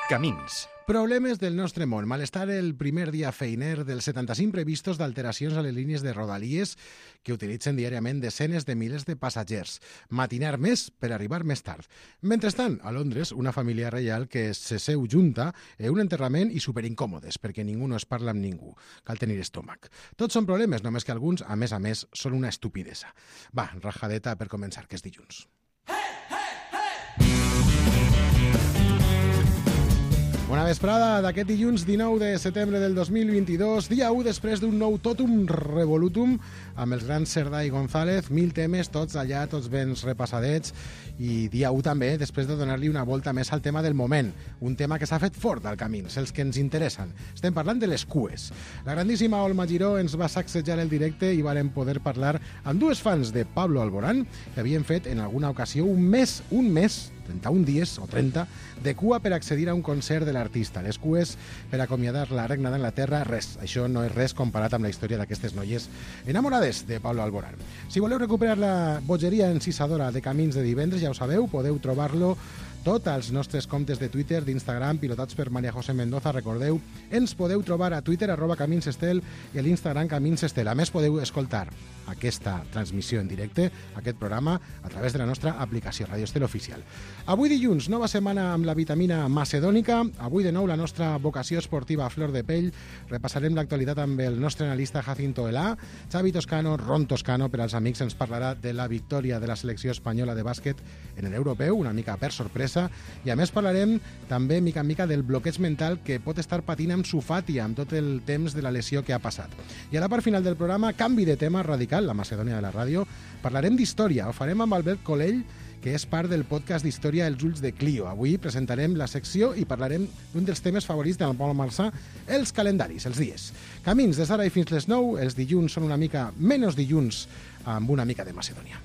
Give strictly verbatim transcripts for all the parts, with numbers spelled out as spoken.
Camins. Problemes del nostre món. Malestar el primer dia feiner dels setanta-cinc previstos d'alteracions a les línies de rodalies que utilitzen diàriament desenes de milers de passatgers. Matinar més per arribar més tard. Mentrestant, a Londres, una família reial que se seu junta en un enterrament i superincòmodes perquè ningú no es parla amb ningú. Cal tenir estómac. Tots són problemes, només que alguns, a més a més, són una estupidesa. Va, rajadeta per començar, que és dilluns. Bona vesprada d'aquest dilluns dinou de setembre del dos mil vint-i-dos, dia u després d'un nou totum revolutum amb els grans Cerdà i González, mil temes, tots allà, tots ben repassadets, i dia u també després de donar-li una volta més al tema del moment, un tema que s'ha fet fort al Camins, els que ens interessen. Estem parlant de les cues. La grandíssima Olma Giró ens va sacsejar el directe i vàrem poder parlar amb dues fans de Pablo Alborán que havien fet en alguna ocasió un mes, un mes, trenta-un dies o trenta, de cua per accedir a un concert de l'artista. Les cues per acomiadar la regna d'Anglaterra, res. Això no és res comparat amb la història d'aquestes noies enamorades de Pablo Alborán. Si voleu recuperar la bogeria encisadora de Camins de divendres, ja ho sabeu, podeu trobar-lo tot als nostres comptes de Twitter, d'Instagram, pilotats per María José Mendoza. Recordeu, ens podeu trobar a Twitter, arroba Caminsestel, i a l'Instagram Caminsestel. A més, podeu escoltar aquesta transmissió en directe, aquest programa, a través de la nostra aplicació Radio Estel Oficial. Avui dilluns, nova setmana amb la vitamina macedònica. Avui de nou la nostra vocació esportiva a flor de pell. Repassarem l'actualitat amb el nostre analista Jacinto Elà. Xavi Toscano, Ron Toscano, per als amics, ens parlarà de la victòria de la selecció espanyola de bàsquet en l'europeu, una mica per sorpresa. I a més parlarem també mica en mica del bloqueig mental que pot estar patint amb Sufati amb tot el temps de la lesió que ha passat. I a la part final del programa, canvi de tema radical, la Macedònia de la ràdio. Parlarem d'història, ho farem amb Albert Colell, que és part del podcast d'història Els ulls de Clio. Avui presentarem la secció i parlarem d'un dels temes favorits del Pol Marçà, els calendaris, els dies. Camins des d'ara i fins les nou, els dilluns són una mica menys dilluns amb una mica de Macedònia.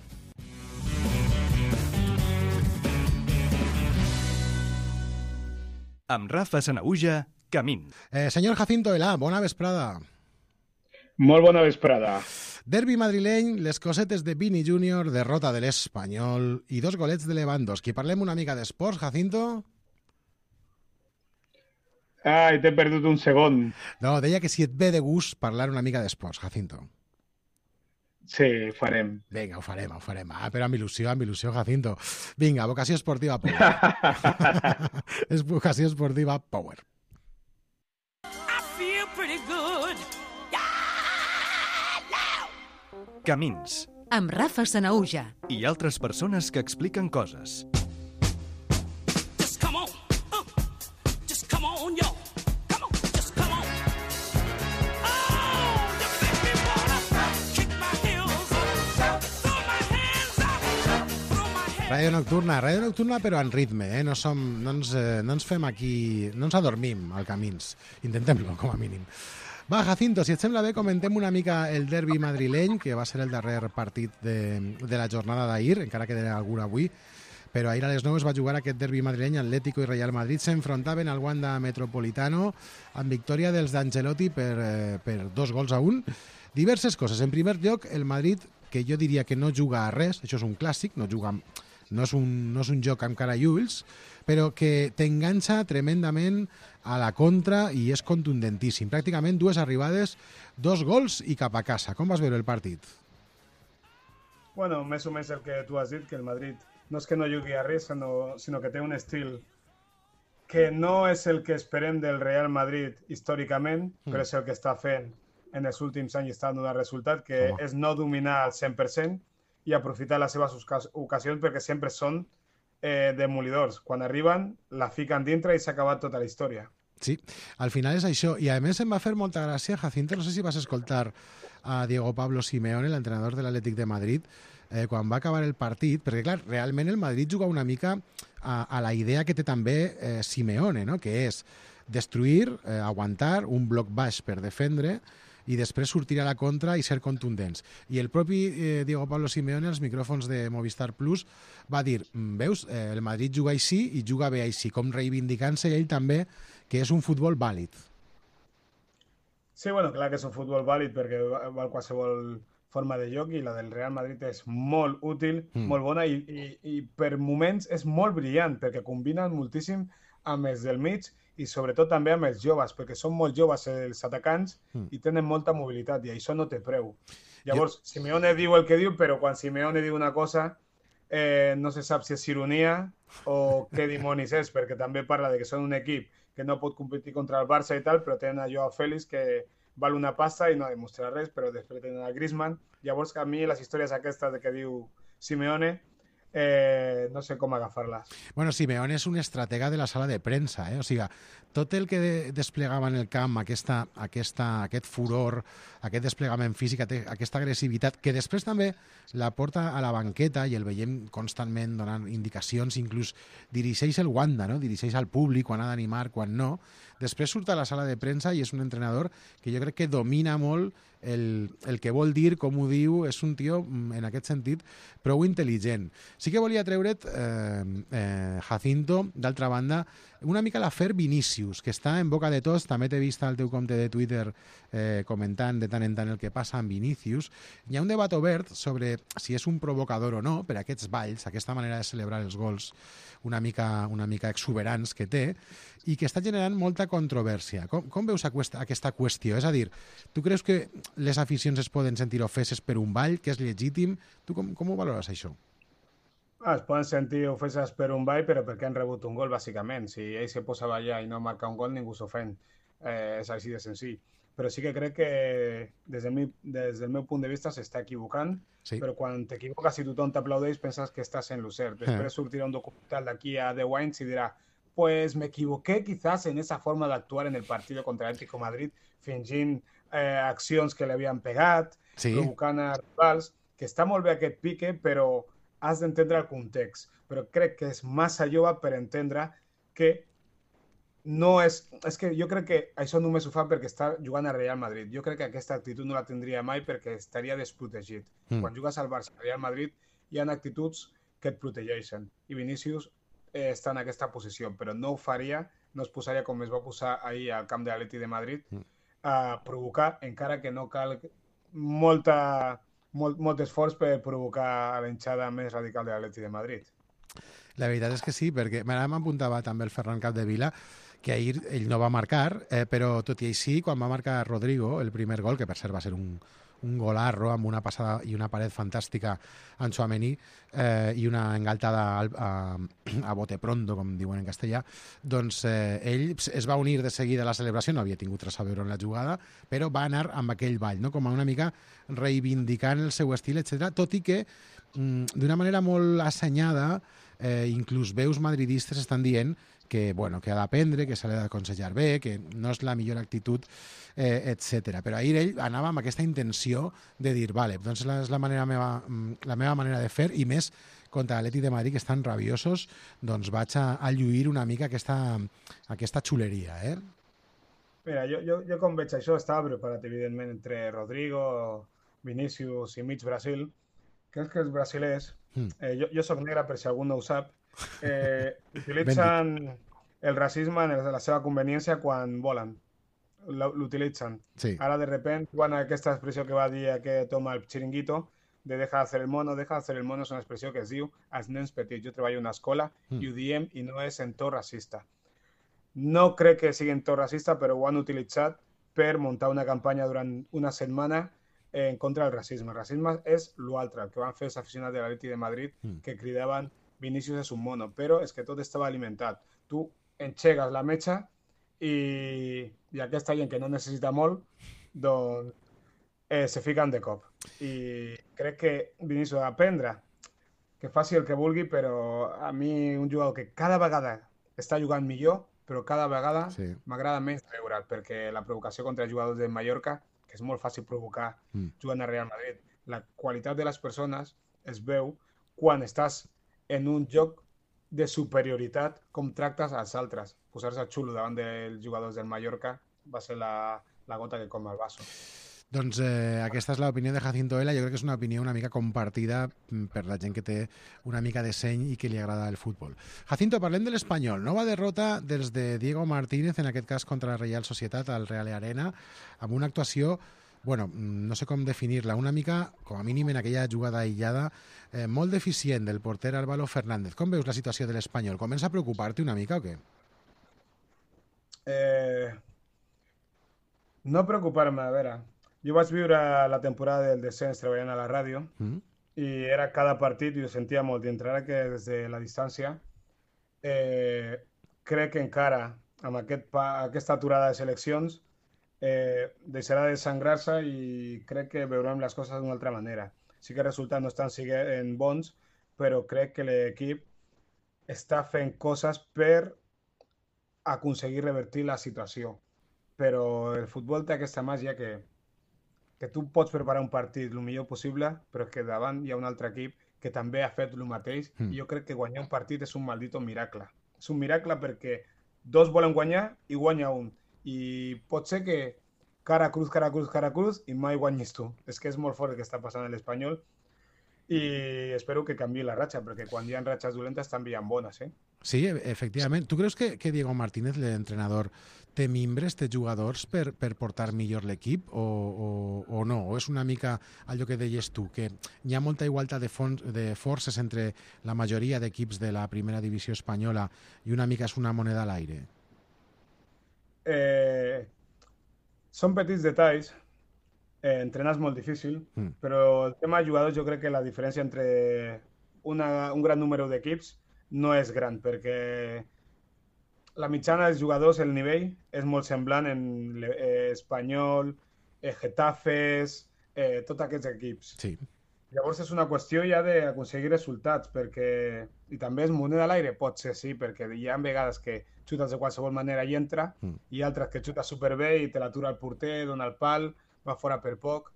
Amb Rafa Sanahuja, Camins. Eh, senyor Jacinto Elà, bona vesprada. Molt bona vesprada. Derbi madrileny, les cosetes de Vini júnior, derrota de l'Espanyol i dos golets de Lewandowski. Parlem una mica d'esports, Jacinto? Ai, t'he perdut un segon. No, deia que si et ve de gust parlar una mica d'esports, Jacinto. Sí, ho farem. Vinga, ho farem, ho farem. Ah, però amb il·lusió, amb il·lusió, Jacinto. Vinga, vocació esportiva power. És vocació esportiva power. I feel pretty good. Camins. Amb Rafa Sanahuja. I altres persones que expliquen coses. Just come on. Uh, just come on, yo. Come on, just come on. Oh, you make me wanna kick my heels up, throw my hands up, throw my hands. Ràdio nocturna, ràdio nocturna però en ritme, eh? No, som, no, ens, eh, no ens fem aquí, no ens adormim al Camins. Intentem-lo, com a mínim. Va, Jacinto, si et sembla bé, comentem una mica el derbi madrileny, que va ser el darrer partit de, de la jornada d'ahir, encara que era algun avui, però ahir a les nou es va jugar aquest derbi madrileny. Atlético i Real Madrid s'enfrontaven al Wanda Metropolitano amb victòria dels d'Ancelotti per, eh, per dos gols a un. Diverses coses. En primer lloc, el Madrid, que jo diria que no juga a res, això és un clàssic, no juga amb, no és un, no és un joc amb cara i ulls, però que t'enganxa tremendament a la contra i és contundentíssim. Pràcticament dues arribades, dos gols i cap a casa. Com vas veure el partit? Bueno, més o menys el que tu has dit, que el Madrid no és que no jugui a res, sinó, sinó que té un estil que no és el que esperem del Real Madrid històricament, mm. però és el que està fent en els últims anys i està donant resultat, que oh. és no dominar al cent per cent i aprofitar les seves ocasions perquè sempre són eh, demolidors. Quan arriben, la fiquen dintre i s'ha acabat tota la història. Sí, al final és això. I a més em va fer molta gràcia, Jacinto, no sé si vas escoltar a Diego Pablo Simeone, l'entrenador de l'Atlètic de Madrid, eh, quan va acabar el partit, perquè clar, realment el Madrid juga una mica a, a la idea que té també eh, Simeone, no? Que és destruir, eh, aguantar, un bloc baix per defendre i després sortir a la contra i ser contundents. I el propi eh, Diego Pablo Simeone, als micròfons de Movistar Plus, va dir, veus, eh, el Madrid juga així i juga bé així, com reivindicant-se ell també que és un futbol vàlid. Sí, bueno, clar que és un futbol vàlid perquè val qualsevol forma de joc i la del Real Madrid és molt útil, mm. molt bona i, i, i per moments és molt brillant perquè combinen moltíssim amb els del mig i sobretot també amb els joves, perquè són molt joves els atacants Mm. i tenen molta mobilitat i això no té preu. Llavors, Simeone diu el que diu, però quan Simeone diu una cosa eh, no se sap si és ironia o què dimonis és, perquè també parla de que són un equip que no pot competir contra el Barça i tal, però tenen a Joao Félix que val una pasta i no demostra res, però després tenen a Griezmann. Llavors, a mi les històries aquestes de que diu Simeone eh, no sé com agafar-les. Bueno, Simeone és un estratega de la sala de premsa, eh? O sigui, tot el que de- desplegava en el camp, aquesta, aquesta, aquest furor, aquest desplegament físic, ate- aquesta agressivitat, que després també la porta a la banqueta i el veiem constantment donant indicacions, inclús dirigeix el Wanda, no? Dirigeix al públic quan ha d'animar, quan no. Després surt a la sala de premsa i és un entrenador que jo crec que domina molt el, el que vol dir, com ho diu, és un tio, mm, en aquest sentit, prou intel·ligent. Sí que volia treure't, eh, eh, Jacinto, d'altra banda, una mica l'afer Vinícius, que està en boca de tots. També t'he vist al teu compte de Twitter eh, comentant de tant en tant el que passa amb Vinícius. Hi ha un debat obert sobre si és un provocador o no per aquests balls, aquesta manera de celebrar els gols una mica, una mica exuberants que té, i que està generant molta controvèrsia. Com, com veus aquesta, aquesta qüestió? És a dir, tu creus que les aficions es poden sentir ofeses per un ball, que és legítim? Tu com, com ho valores, això? Ah, es poden sentir ofeses per un ball, però perquè han rebut un gol, bàsicament. Si ell se posa a ballar i no marca un gol, ningú s'ofèn. Eh, és així de senzill. Però sí que crec que des del, mi, des del meu punt de vista s'està equivocant, Sí. però quan t'equivoques i tothom t'aplaudeix penses que estàs en lo cert. Després sortirà un documental d'aquí a deu anys i dirà pues me equivoqué quizás en esa forma de actuar en el partido contra el Atlético de Madrid, fingint eh, accions que li havien pegat, Sí. provocant a rivals, que està molt bé aquest pique, però has d'entendre el context. Però crec que és massa jove per entendre que no és... És que jo crec que això només ho fa perquè està jugant a Real Madrid. Jo crec que aquesta actitud no la tindria mai perquè estaria desprotegit. Mm. Quan jugues al Barça, al Real Madrid, hi ha actituds que et protegeixen. I Vinícius eh, està en aquesta posició, però no ho faria, no es posaria com es va posar ahir al camp de l'Atleti de Madrid, Mm. a provocar, encara que no cal molta, molt, molt esforç per provocar a l'enxada més radical de l'Atleti de Madrid. La veritat és que sí, perquè ara m'apuntava també el Ferran Capdevila, que ahir ell no va marcar, eh, però tot i així, quan va marcar Rodrigo, el primer gol, que per cert va ser un, un golarro amb una passada i una paret fantàstica en Tchouaméni eh, i una engaltada al, a, a bote pronto, com diuen en castellà, doncs eh, ell es va unir de seguida a la celebració, no havia tingut res a veure en la jugada, però va anar amb aquell ball, no? Com a una mica reivindicant el seu estil, etcètera, tot i que mm, d'una manera molt assenyada, eh, inclús veus madridistes estan dient que, bueno, que ha d'aprendre, que s'ha d'aconsellar bé, que no és la millor actitud, eh, etcètera. Però ahir ell anava amb aquesta intenció de dir, vale, doncs és la manera meva, la meva manera de fer, i més contra l'Atlètic de Madrid, que estan rabiosos, doncs vaig a, a lluir una mica aquesta, aquesta xuleria, eh? Mira, jo, jo, jo com veig això estava preparat, evidentment, entre Rodrigo, Vinícius i mig Brasil. Crec que els brasilers, Mm. eh, jo, jo soc negre per si algú no ho sap, eh, utilitzen el racisme en la seva conveniència quan volen. Lo- L'utilitzen. Sí. Ara, de repente, quan aquesta expressió que va dir aquest home al xiringuito, de deja de hacer el mono, deja de hacer el mono, és una expressió que es diu als nens petits. Jo treballo a una escola Mm. i ho diem i no és en to racista. No crec que sigui en to racista, però ho han utilitzat per muntar una campanya durant una setmana en contra del racisme. El racisme és l'altre, el que van fer els aficionats de l'Atleti de Madrid, Mm. que cridaven Vinícius és un mono, però és que tot estava alimentat. Tu enxegues la metxa i, i aquesta gent que no necessita molt, doncs eh, se fiquen de cop. I crec que Vinícius ha d'aprendre, que faci el que vulgui, però a mi un jugador que cada vegada està jugant millor, però cada vegada Sí. m'agrada menys veure'l, perquè la provocació contra els jugadors de Mallorca, que és molt fàcil provocar Mm. jugant a Real Madrid, la qualitat de les persones es veu quan estàs en un joc de superioritat, com tractes als altres. Posar-se xulo davant dels jugadors del Mallorca va ser la, la gota que com el vaso. Doncs eh, aquesta és l'opinió de Jacinto Vela. Jo crec que és una opinió una mica compartida mm, per la gent que té una mica de seny i que li agrada el futbol. Jacinto, parlem de l'Espanyol. Nova derrota des de Diego Martínez, en aquest cas contra la Real Societat al Real Arena, amb una actuació, bueno, mm, no sé com definir-la, una mica, com a mínim en aquella jugada aïllada, eh, molt deficient del porter Álvaro Fernández. Com veus la situació de l'Espanyol? Comença a preocupar-te una mica o què? Eh, no preocupar-me, a veure, jo vaig viure la temporada del descens treballant a la ràdio Mm? i era cada partit i ho sentia molt dintre. Ara que des de la distància eh, crec que encara amb aquest pa, aquesta aturada de seleccions eh, deixarà de sangrar-se i crec que veurem les coses d'una altra manera. Sí que els resultats no estan siguent bons, però crec que l'equip està fent coses per aconseguir revertir la situació. Però el futbol té aquesta màgia que, que tu pots preparar un partit el millor possible, però que davant hi ha un altre equip que també ha fet el mateix Mm. i jo crec que guanyar un partit és un maldito miracle. És un miracle perquè dos volen guanyar i guanya un. I pot ser que cara cruz, cara cruz, cara cruz i mai guanyis tu. És que és molt fort el que està passant a l'Espanyol i espero que canvi la ratxa, perquè quan hi ha ratxes dolentes també hi ha bones, eh? Sí, e- efectivament. Tu creus que, que Diego Martínez, l'entrenador, té mimbres, té jugadors per, per portar millor l'equip o, o, o no? O és una mica allò que deies tu, que hi ha molta igualtat de, fons, de forces entre la majoria d'equips de la primera divisió espanyola i una mica és una moneda a l'aire? Eh, són petits detalls, eh, entrenar és molt difícil, Mm. però el tema de jugadors jo crec que la diferència entre una, un gran número d'equips no és gran, perquè la mitjana dels jugadors, el nivell, és molt semblant en eh, Espanyol, eh, Getafes, eh, tots aquests equips. Sí. Llavors és una qüestió ja d'aconseguir resultats, perquè... I també és moneda a l'aire? Pot ser, sí, perquè hi ha vegades que xutes de qualsevol manera i entra, Mm. i altres que xuta superbé i te l'atura el porter, dona el pal, va fora per poc.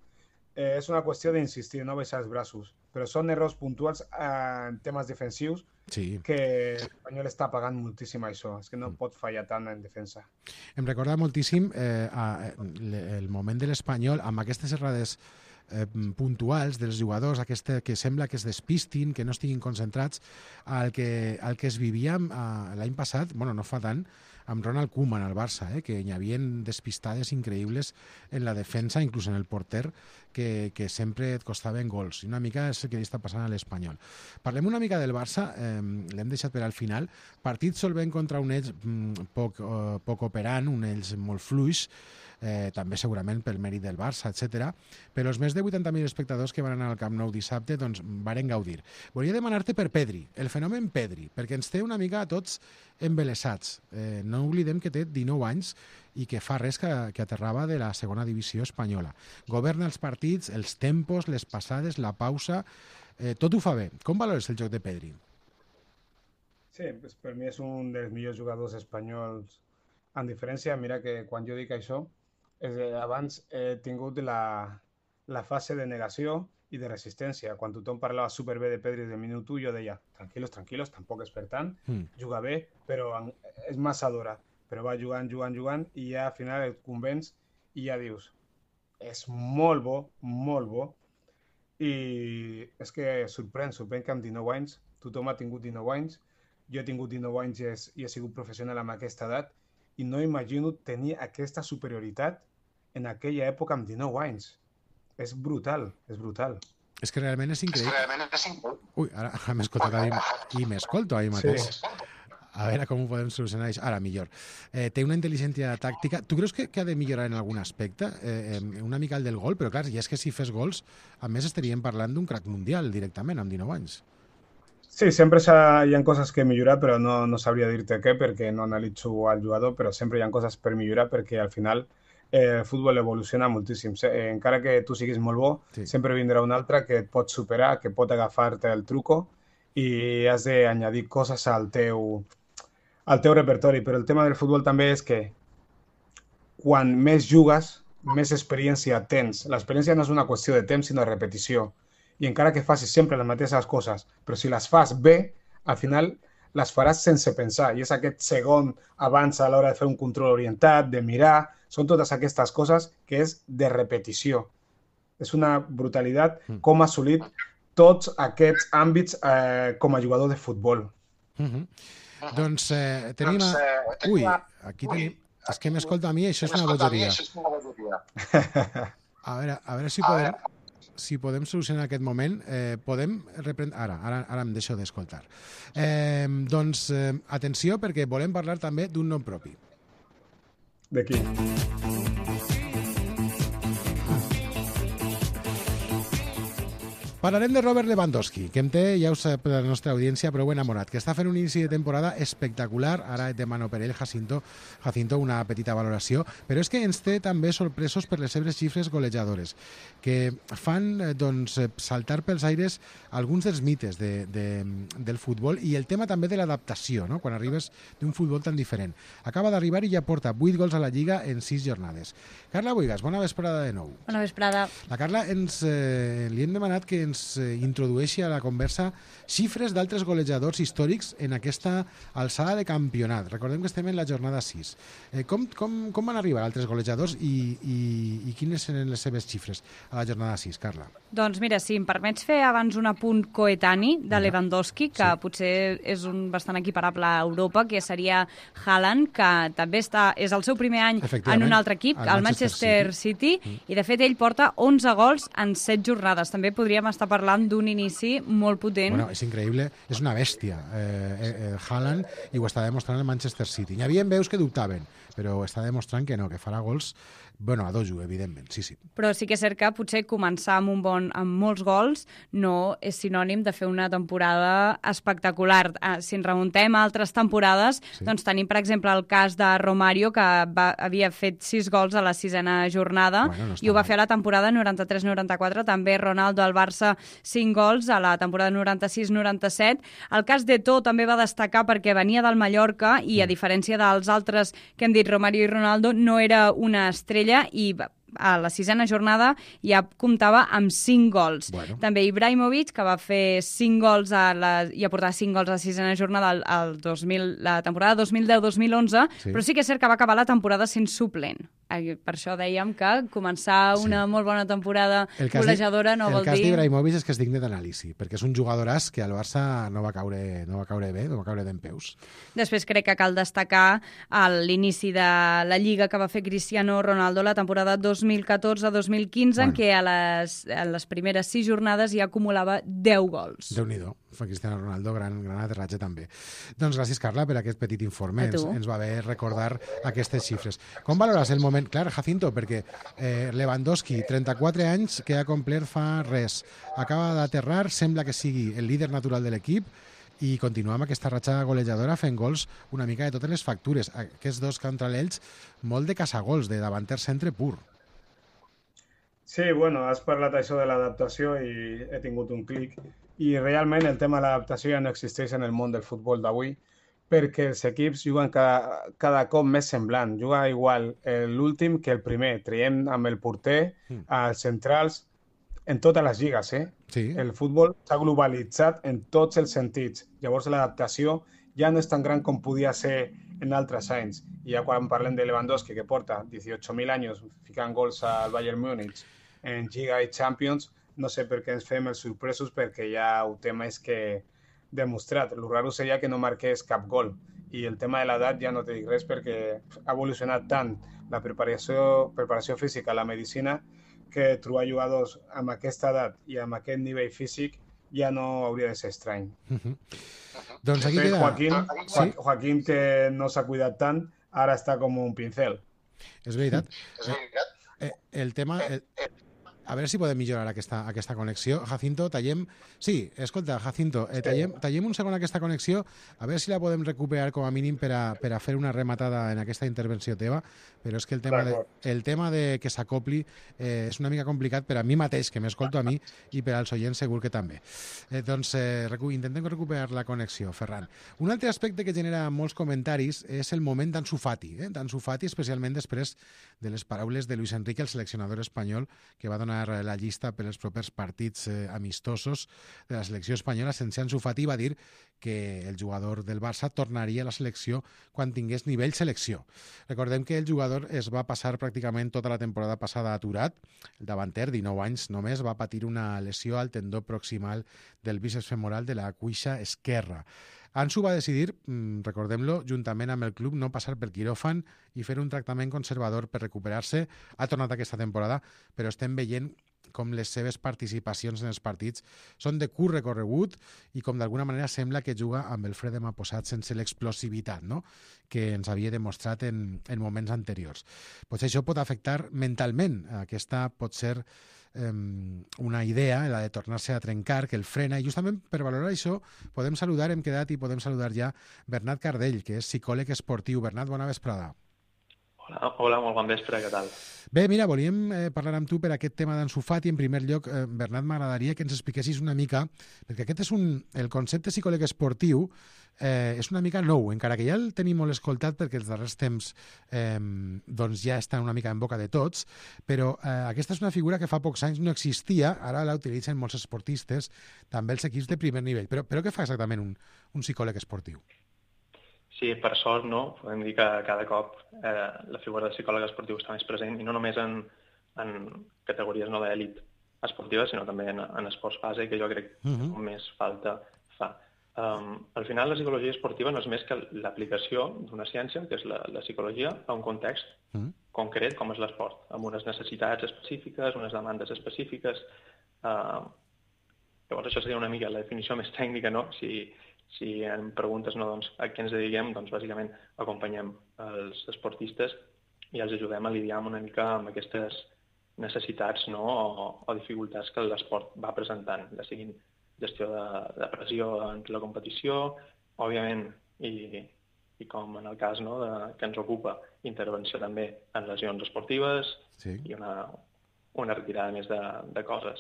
Eh, és una qüestió d'insistir, no baixar els braços. Però són errors puntuals eh, en temes defensius Sí. que l'Espanyol està pagant moltíssim això. És que no pot fallar tant en defensa. Em recorda moltíssim eh, a, le- el moment de l'Espanyol amb aquestes errades eh, puntuals dels jugadors, aquesta, que sembla que es despistin, que no estiguin concentrats, al que, al que es vivia eh, l'any passat, bueno, no fa tant, amb Ronald Koeman al Barça, eh, que hi havia despistades increïbles en la defensa, inclús en el porter, que, que sempre et costaven gols. I una mica és el que li està passant a l'Espanyol. Parlem una mica del Barça, eh, l'hem deixat per al final. Partit solvent contra un ells mm, poc, eh, poc operant, un ells molt fluix, eh, també segurament pel mèrit del Barça, etcètera. Però els més de vuitanta mil espectadors que van anar al Camp Nou dissabte doncs, varen gaudir. Volia demanar-te per Pedri, el fenomen Pedri, perquè ens té una mica a tots embelesats. Eh, no oblidem que té dinou anys i que fa res que, que aterrava de la segona divisió espanyola. Governa els partits, els tempos, les passades, la pausa, eh, tot ho fa bé. Com valores el joc de Pedri? Sí, pues per mi és un dels millors jugadors espanyols. En diferència, mira que quan jo dic això, és, eh, abans he tingut la, la fase de negació i de resistència. Quan tothom parlava superbé de Pedri de minut u, jo deia, tranquilos, tranquilos, tampoc és per tant, Mm. juga bé, però en, és massa d'hora. Però va jugant, jugant, jugant, i ja al final et convenç i ja dius, és molt bo, molt bo, i és que sorprèn, sorprèn que amb dinou anys, tothom ha tingut dinou anys, jo he tingut dinou anys i, és, i he sigut professional amb aquesta edat, i no imagino tenir aquesta superioritat en aquella època amb dinou anys. És brutal, és brutal. És que realment és increïble. Ui, ara, ara m'he escoltat a mi i m'escolto a mi mateix. Sí. A veure com ho podem solucionar això. Ara, millor. Eh, té una intel·ligència tàctica. Tu creus que, que ha de millorar en algun aspecte? Eh, eh, una mica el del gol, però clar, i és que si fes gols, a més estaríem parlant d'un crac mundial directament, amb dinou anys. Sí, sempre s'ha- hi ha coses que millorar, però no, no sabria dir-te què, perquè no analitzo al jugador, però sempre hi ha coses per millorar, perquè al final eh, el futbol evoluciona moltíssim. Se- eh, encara que tu siguis molt bo, Sí. sempre vindrà un altre que et pot superar, que pot agafar-te el truco i has d'añadir coses al teu, al teu repertori. Però el tema del futbol també és que quan més jugues, més experiència tens. L'experiència no és una qüestió de temps, sinó de repetició. I encara que facis sempre les mateixes coses, però si les fas bé, al final les faràs sense pensar. I és aquest segon abans a l'hora de fer un control orientat, de mirar, són totes aquestes coses que és de repetició. És una brutalitat com ha assolit tots aquests àmbits eh, com a jugador de futbol. Uh -huh. Doncs eh, tenim... A... Ui, aquí tenim... És que m'escolta a mi, això és una bogeria. A veure, a veure si podem, si podem solucionar aquest moment. Eh, podem reprendre... Ara, ara, ara em deixo d'escoltar. Eh, doncs, eh, atenció, perquè volem parlar també d'un nom propi. d'aquí. Parlarem de Robert Lewandowski, que em té, ja ho sap la nostra audiència, prou enamorat, que està fent un inici de temporada espectacular. Ara de mano per ell, Jacinto, Jacinto, una petita valoració, però és que ens té també sorpresos per les seves xifres golejadores, que fan doncs, saltar pels aires alguns dels mites de, de, del futbol i el tema també de l'adaptació, no? Quan arribes d'un futbol tan diferent. Acaba d'arribar i ja porta vuit gols a la Lliga en sis jornades. Carla Boigas, bona vesprada de nou. Bona vesprada. La Carla ens, eh, li hem demanat que ens introdueixi a la conversa xifres d'altres golejadors històrics en aquesta alçada de campionat. Recordem que estem en la jornada sis. Eh, com, com, com van arribar altres golejadors i, i, i quines eren les seves xifres a la jornada sis, Carla? Doncs mira, si em permets fer abans un apunt coetani de Lewandowski, que sí. Potser és un bastant equiparable a Europa, que seria Haaland, que també està, és el seu primer any en un altre equip, el Manchester, Manchester City, City mm. i de fet ell porta onze gols en set jornades. També podríem estar parlant d'un inici molt potent. Bueno, és increïble, és una bèstia eh, eh, Haaland, i ho està demostrant el Manchester City. Hi havia veus que dubtaven, però està demostrant que no, que farà gols, bueno, a dojo, evidentment, sí, sí. Però sí que és cert que potser començar amb un bon, amb molts gols no és sinònim de fer una temporada espectacular. Si ens remuntem a altres temporades, sí. Doncs tenim, per exemple, el cas de Romario, que va, havia fet sis gols a la sisena jornada, bueno, no i ho va fer a la temporada noranta-tres noranta-quatre, també Ronaldo al Barça cinc gols a la temporada noranta-sis noranta-set. El cas d'Eto'o també va destacar perquè venia del Mallorca i, a diferència dels altres que hem dit, Romario i Ronaldo, no era una estrella i a la sisena jornada ja comptava amb cinc gols. Bueno. També Ibrahimovic, que va fer cinc gols a la, i aportar cinc gols a la sisena jornada al, al dos mil, la temporada dos mil deu dos mil onze, sí. Però sí que és cert que va acabar la temporada sent suplent. Per això dèiem que començar una sí. molt bona temporada golejadora no vol dir... El cas d'Ibrahimovic és que és digne d'anàlisi, perquè és un jugadoràs que al Barça no va caure, no va caure bé, no va caure dempeus. Després crec que cal destacar l'inici de la Lliga que va fer Cristiano Ronaldo la temporada dos mil catorze dos mil quinze, bueno. En què a les, a les primeres sis jornades ja acumulava deu gols. Déu-n'hi-do, fa Cristiano Ronaldo, gran, gran aterratge també. Doncs gràcies, Carla, per aquest petit informe. Ens, ens va bé recordar aquestes xifres. Com valores el moment? Clar, Jacinto, perquè eh, Lewandowski, trenta-quatre anys, que ha complert fa res. Acaba d'aterrar, sembla que sigui el líder natural de l'equip, i continuar amb aquesta ratxa golejadora fent gols una mica de totes les factures. Aquests dos contra l'Elx, molt de caçagols, de davanter centre pur. Sí, bueno, has parlat això de l'adaptació i he tingut un clic. I realment el tema de l'adaptació ja no existeix en el món del futbol d'avui, perquè els equips juguen cada, cada cop més semblant. Juga igual l'últim que el primer. Traiem amb el porter, als centrals, en totes les lligues. Eh? Sí. El futbol s'ha globalitzat en tots els sentits. Llavors l'adaptació ja no és tan gran com podia ser en altres anys. I ja quan parlem de Lewandowski, que porta dieciocho mil anys ficant gols al Bayern Múnich en Lliga i Champions, no sé per què ens fem els sorpresos, perquè ja ho té més que demostrat. El raro seria que no marqués cap gol. I el tema de l'edat ja no te dic res, perquè ha evolucionat tant la preparació, preparació física, la medicina, que trobar jugadors amb aquesta edat i amb aquest nivell físic ja no hauria de ser estrany. Uh-huh. Doncs aquí queda... Joaquín, ¿Sí? Joaquín, que no s'ha cuidat tant, ara està com un pincel. És veritat. Eh, el tema... El... A veure si podem millorar aquesta, aquesta connexió. Jacinto, tallem... Sí, escolta, Jacinto, eh, tallem, tallem un segon aquesta connexió, a veure si la podem recuperar com a mínim per a, per a fer una rematada en aquesta intervenció teva, però és que el tema de, el tema de que s'acopli eh, és una mica complicat per a mi mateix, que m'escolto a mi, i per als oients segur que també. Eh, doncs eh, recu intentem recuperar la connexió, Ferran. Un altre aspecte que genera molts comentaris és el moment d'Ansu Fati, eh? d'Ansu Fati, especialment després de les paraules de Luis Enrique, el seleccionador espanyol, que va donar la llista per als propers partits eh, amistosos de la selecció espanyola. Sense Ansu Fati va dir que el jugador del Barça tornaria a la selecció quan tingués nivell selecció. Recordem que el jugador es va passar pràcticament tota la temporada passada aturat. El davanter, dinou anys només, va patir una lesió al tendó proximal del bíceps femoral de la cuixa esquerra. Ansu va decidir, recordem-lo, juntament amb el club, no passar per quiròfan i fer un tractament conservador per recuperar-se. Ha tornat aquesta temporada, però estem veient com les seves participacions en els partits són de curt recorregut i com d'alguna manera sembla que juga amb el fre demà posat sense l'explosivitat, no?, que ens havia demostrat en, en moments anteriors. Potser això pot afectar mentalment. Aquesta pot ser eh, una idea, la de tornar-se a trencar, que el frena, i justament per valorar això podem saludar, hem quedat i podem saludar ja Bernat Cardell, que és psicòleg esportiu. Bernat, bona vesprada. Hola, hola, molt bon vespre, què tal? Bé, mira, volíem eh, parlar amb tu per aquest tema d'Ansu Fati. En primer lloc, eh, Bernat, m'agradaria que ens expliquessis una mica, perquè aquest és un... el concepte psicòleg esportiu eh, és una mica nou, encara que ja el tenim molt escoltat perquè els darrers temps eh, doncs ja està una mica en boca de tots, però eh, aquesta és una figura que fa pocs anys no existia, ara la utilitzen molts esportistes, també els equips de primer nivell. Però, però què fa exactament un, un psicòleg esportiu? Sí, per sort, no? Podem dir que cada cop eh, la figura del psicòleg esportiu està més present, i no només en, en categories no d'èlit esportiva, sinó també en, en esports base, que jo crec que uh -huh. més falta fa. Um, al final, la psicologia esportiva no és més que l'aplicació d'una ciència, que és la, la psicologia, a un context uh -huh. concret com és l'esport, amb unes necessitats específiques, unes demandes específiques. Uh, llavors, això seria una mica la definició més tècnica, no? Si, Si em preguntes no, doncs, a què ens dediquem, doncs bàsicament acompanyem els esportistes i els ajudem a lidiar una mica amb aquestes necessitats, no, o, o dificultats que l'esport va presentant, ja siguin gestió de, de pressió en la competició, òbviament, i, i com en el cas, no, de, que ens ocupa, intervenció també en lesions esportives, sí, i una, una retirada més de, de coses.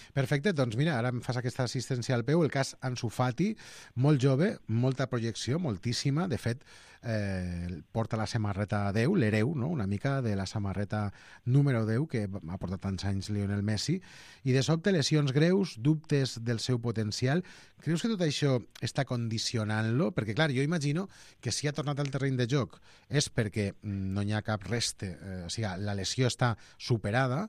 Perfecte, doncs mira, ara em fas aquesta assistència al peu, el cas Ansu Fati, molt jove, molta projecció, moltíssima, de fet, eh, porta la samarreta deu, l'hereu, no?, una mica de la samarreta número deu que ha portat tants anys Lionel Messi, i de sobte lesions greus, dubtes del seu potencial. Creus que tot això està condicionant-lo? Perquè, clar, jo imagino que si ha tornat al terreny de joc és perquè no hi ha cap reste, eh, o sigui, la lesió està superada,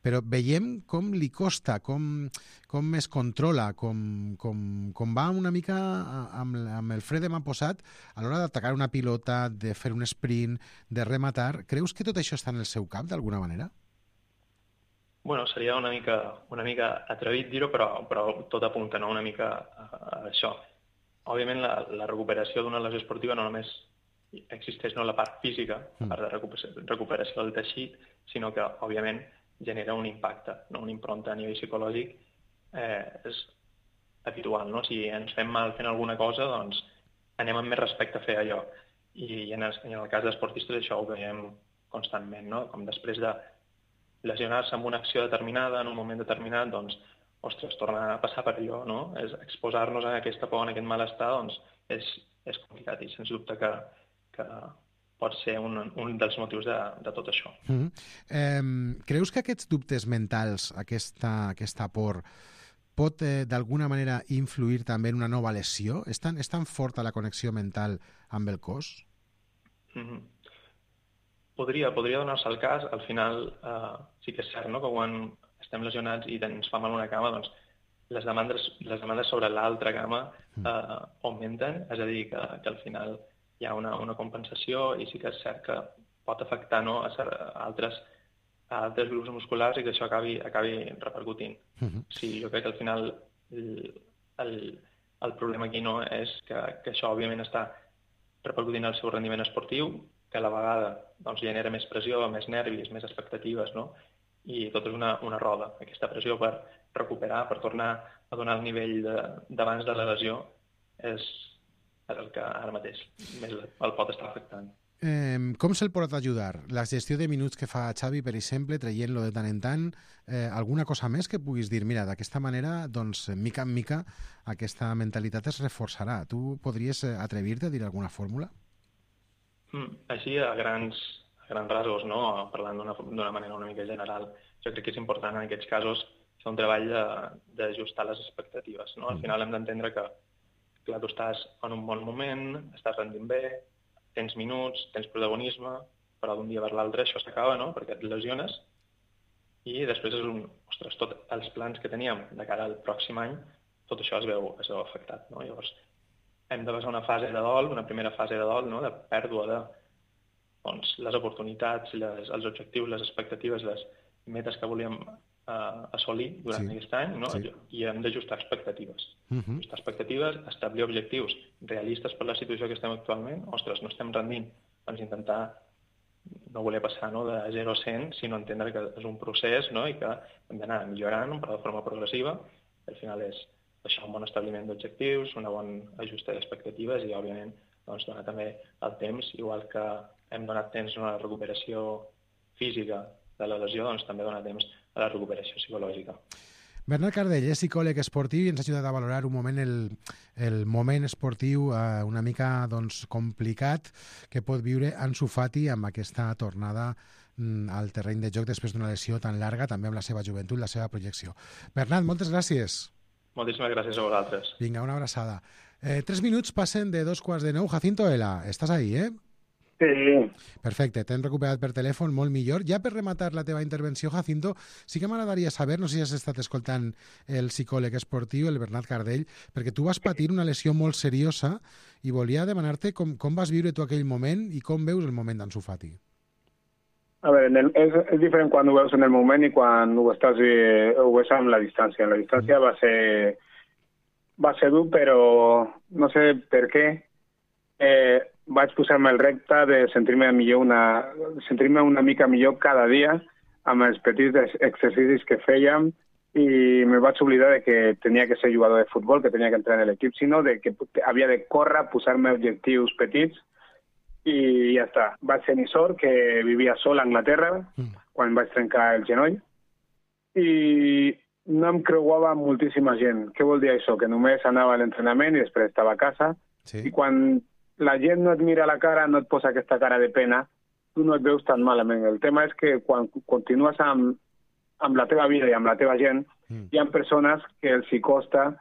però veiem com li costa, com, com es controla, com, com, com va una mica amb, amb el fre de mà posat a l'hora d'atacar una pilota, de fer un sprint, de rematar. Creus que tot això està en el seu cap, d'alguna manera? Bueno, seria una mica, una mica atrevit dir-ho, però, però tot apunta, no?, una mica a, a això. Òbviament, la, la recuperació d'una lesió esportiva no només existeix, no, la part física, la part de recuperació, recuperació del teixit, sinó que, òbviament, genera un impacte, no? Una impronta a nivell psicològic eh, és habitual, no? Si ens fem mal fent alguna cosa, doncs anem amb més respecte a fer allò. I en el, en el cas d'esportistes això ho veiem constantment, no? Com després de lesionar-se amb una acció determinada, en un moment determinat, doncs, ostres, tornar a passar per allò, no? És exposar-nos a aquesta por, a aquest malestar, doncs és, és complicat i sens dubte que, que pot ser un, un dels motius de, de tot això. Mm-hmm. eh, creus que aquests dubtes mentals, aquesta, aquesta por, pot eh, d'alguna manera influir també en una nova lesió? És tan, és tan forta la connexió mental amb el cos? Mm-hmm. Podria, podria donar-se el cas. Al final eh, sí que és cert, no?, que quan estem lesionats i ens fa mal una cama, doncs les demandes, les demandes sobre l'altra cama eh, augmenten, és a dir, que, que al final hi ha una, una compensació i sí que és cert que pot afectar, no, a, a, altres, a altres grups musculars i que això acabi, acabi repercutint. Uh-huh. Sí, jo crec que al final el, el, el problema aquí no és que, que això òbviament està repercutint el seu rendiment esportiu, que a la vegada doncs, genera més pressió, més nervis, més expectatives, no? I tot és una, una roda. Aquesta pressió per recuperar, per tornar a donar el nivell d'abans de, de la lesió és el que ara mateix més el pot estar afectant. Eh, com se'l pot ajudar? La gestió de minuts que fa Xavi, per exemple, traient-lo de tant en tant, eh, alguna cosa més que puguis dir? Mira, d'aquesta manera, doncs, mica en mica, aquesta mentalitat es reforçarà. Tu podries atrevir-te a dir alguna fórmula? Mm, així, a grans, a grans rasos, no? Parlant d'una manera una mica general, jo crec que és important en aquests casos fer un treball d'ajustar les expectatives, no? Al final hem d'entendre que clar, tu estàs en un bon moment, estàs rendint bé, tens minuts, tens protagonisme, però d'un dia per l'altre això s'acaba, no?, perquè et lesiones, i després és un... Ostres, tots els plans que teníem de cara al pròxim any, tot això es veu, es veu afectat, no? Llavors, hem de passar una fase de dol, una primera fase de dol, no?, de pèrdua de doncs, les oportunitats, les, els objectius, les expectatives, les metes que volíem uh, assolir durant Sí. aquest any, no? Sí. I hem d'ajustar expectatives. Uh -huh. Ajustar expectatives, establir objectius realistes per la situació que estem actualment. Ostres, no estem rendint, doncs intentar no voler passar, no, de zero a cent, sinó entendre que és un procés, no, i que hem d'anar millorant però de forma progressiva. Al final és això, un bon establiment d'objectius, una bona ajusta d'expectatives i, òbviament, doncs, donar també el temps, igual que hem donat temps a la recuperació física de la lesió, doncs també donar temps a la recuperació psicològica. Bernat Cardell és psicòleg esportiu i ens ha ajudat a valorar un moment el, el moment esportiu eh, una mica doncs, complicat que pot viure Ansu Fati amb aquesta tornada mm, al terreny de joc després d'una lesió tan llarga, també amb la seva joventut, la seva projecció. Bernat, moltes gràcies. Moltíssimes gràcies a vosaltres. Vinga, una abraçada. Eh, tres minuts passen de dos quarts de nou. Jacinto Ela, estàs ahí, eh? Sí, Perfecte, t'hem recuperat per telèfon, molt millor. Ja per rematar la teva intervenció, Jacinto, sí que m'agradaria saber, no sé si has estat escoltant el psicòleg esportiu, el Bernat Cardell, perquè tu vas patir una lesió molt seriosa i volia demanar-te com, com vas viure tu aquell moment i com veus el moment d'Ansu Fati. a veure, en el, és, és diferent quan ho veus en el moment i quan ho estàs eh, ho veus amb la distància. La distància va ser va ser dur, però no sé per què eh, vaig posar-me el repte de sentir-me millor una, sentir-me una mica millor cada dia amb els petits exercicis que fèiem i me vaig oblidar de que tenia que ser jugador de futbol, que tenia que entrar en l'equip, sinó de que havia de córrer, posar-me objectius petits i ja està. Vaig tenir sort que vivia sol a Anglaterra Mm. quan vaig trencar el genoll i no em creuava amb moltíssima gent. Què vol dir això? Que només anava a l'entrenament i després estava a casa. Sí. I quan la gent no et mira a la cara, no et posa aquesta cara de pena, tu no et veus tan malament. El tema és que quan continues amb, amb la teva vida i amb la teva gent, Mm. hi ha persones que els hi costa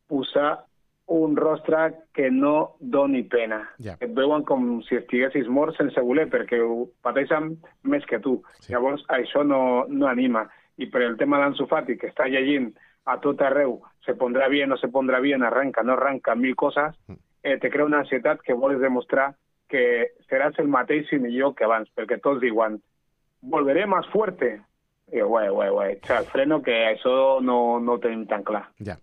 posar un rostre que no doni pena. Ja. Et veuen com si estiguessis mort sense voler, perquè ho pateixen més que tu. Sí. Llavors, això no, no anima. I per el tema d'Ansu Fati, que està llegint a tot arreu, se pondrà bien, no se pondrà bien, arranca, no arranca, mil coses, eh, te crea una ansietat que vols demostrar que seràs el mateix i millor que abans, perquè tots diuen, volveré más fuerte. I jo, guai, guai, guai, xal, freno, que això no, no ho tenim tan clar. Ja,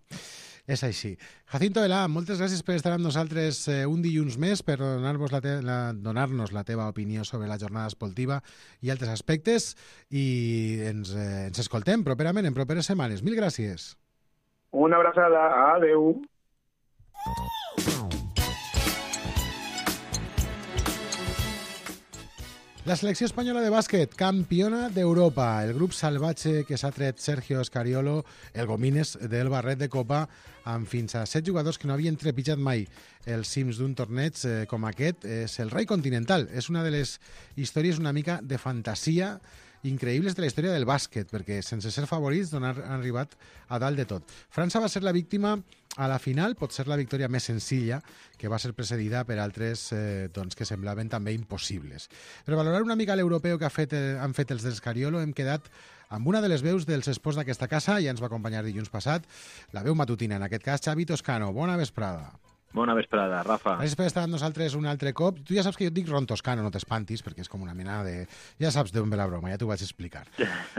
és així. Jacinto Ela, moltes gràcies per estar amb nosaltres eh, un dilluns més per donar-nos la, te la, donar-nos la teva opinió sobre la jornada esportiva i altres aspectes i ens, eh, ens escoltem properament en properes setmanes. Mil gràcies. Una abraçada, adeu. La selecció espanyola de bàsquet, campiona d'Europa. El grup salvatge que s'ha tret Sergio Scariolo, el Gomines del barret de Copa, amb fins a set jugadors que no havien trepitjat mai els cims d'un torneig eh, com aquest, és el rei continental. És una de les històries una mica de fantasia increïbles de la història del bàsquet, perquè sense ser favorits han arribat a dalt de tot. França va ser la víctima a la final, pot ser la victòria més senzilla, que va ser precedida per altres eh, doncs, que semblaven també impossibles. Per valorar una mica l'europeu que ha fet, eh, han fet els del Scariolo, hem quedat amb una de les veus dels esports d'aquesta casa, ja ens va acompanyar dilluns passat, la veu matutina, en aquest cas Xavi Toscano. Bona vesprada. Bona vesprada, Rafa. Gràcies per estar amb nosaltres un altre cop. Tu ja saps que jo et dic Ron Toscano, no t'espantis, perquè és com una mena de... Ja saps d'on ve la broma, ja t'ho vaig explicar.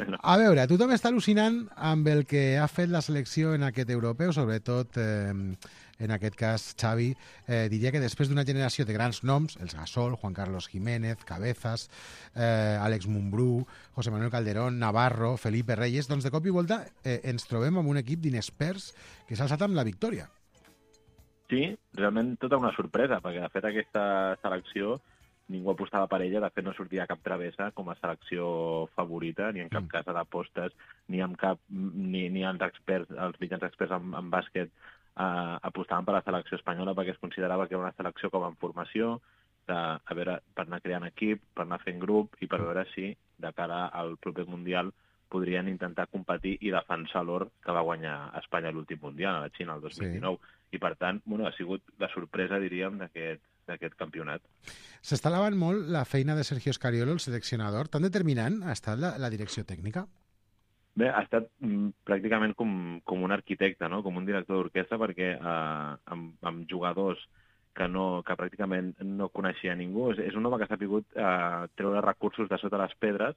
No. A veure, tothom està al·lucinant amb el que ha fet la selecció en aquest europeu, sobretot eh, en aquest cas Xavi. Eh, diria que després d'una generació de grans noms, els Gasol, Juan Carlos Jiménez, Cabezas, eh, Àlex Mumbrú, José Manuel Calderón, Navarro, Felipe Reyes, doncs de cop i volta eh, ens trobem amb un equip d'inexperts que s'ha alçat amb la victòria. Sí, realment tota una sorpresa, perquè de fet aquesta selecció ningú apostava per ella, de fet no sortia cap travessa com a selecció favorita, ni en cap Mm. cas a d'apostes, ni en cap, ni, ni els experts, els mitjans experts en, en bàsquet eh, apostaven per la selecció espanyola perquè es considerava que era una selecció com en formació, de, a veure, per anar creant equip, per anar fent grup i per veure si de cara al proper Mundial podrien intentar competir i defensar l'or que va guanyar Espanya a l'últim Mundial, a la Xina, el dos mil dinou. Sí. I, per tant, bueno, ha sigut la sorpresa, diríem, d'aquest campionat. S'està alabant molt la feina de Sergio Scariolo, el seleccionador. Tan determinant ha estat la, la direcció tècnica? Bé, ha estat mm, pràcticament com, com un arquitecte, no? Com un director d'orquestra, perquè eh, amb, amb jugadors que, no, que pràcticament no coneixia ningú. És, és un home que s'ha pogut eh, treure recursos de sota les pedres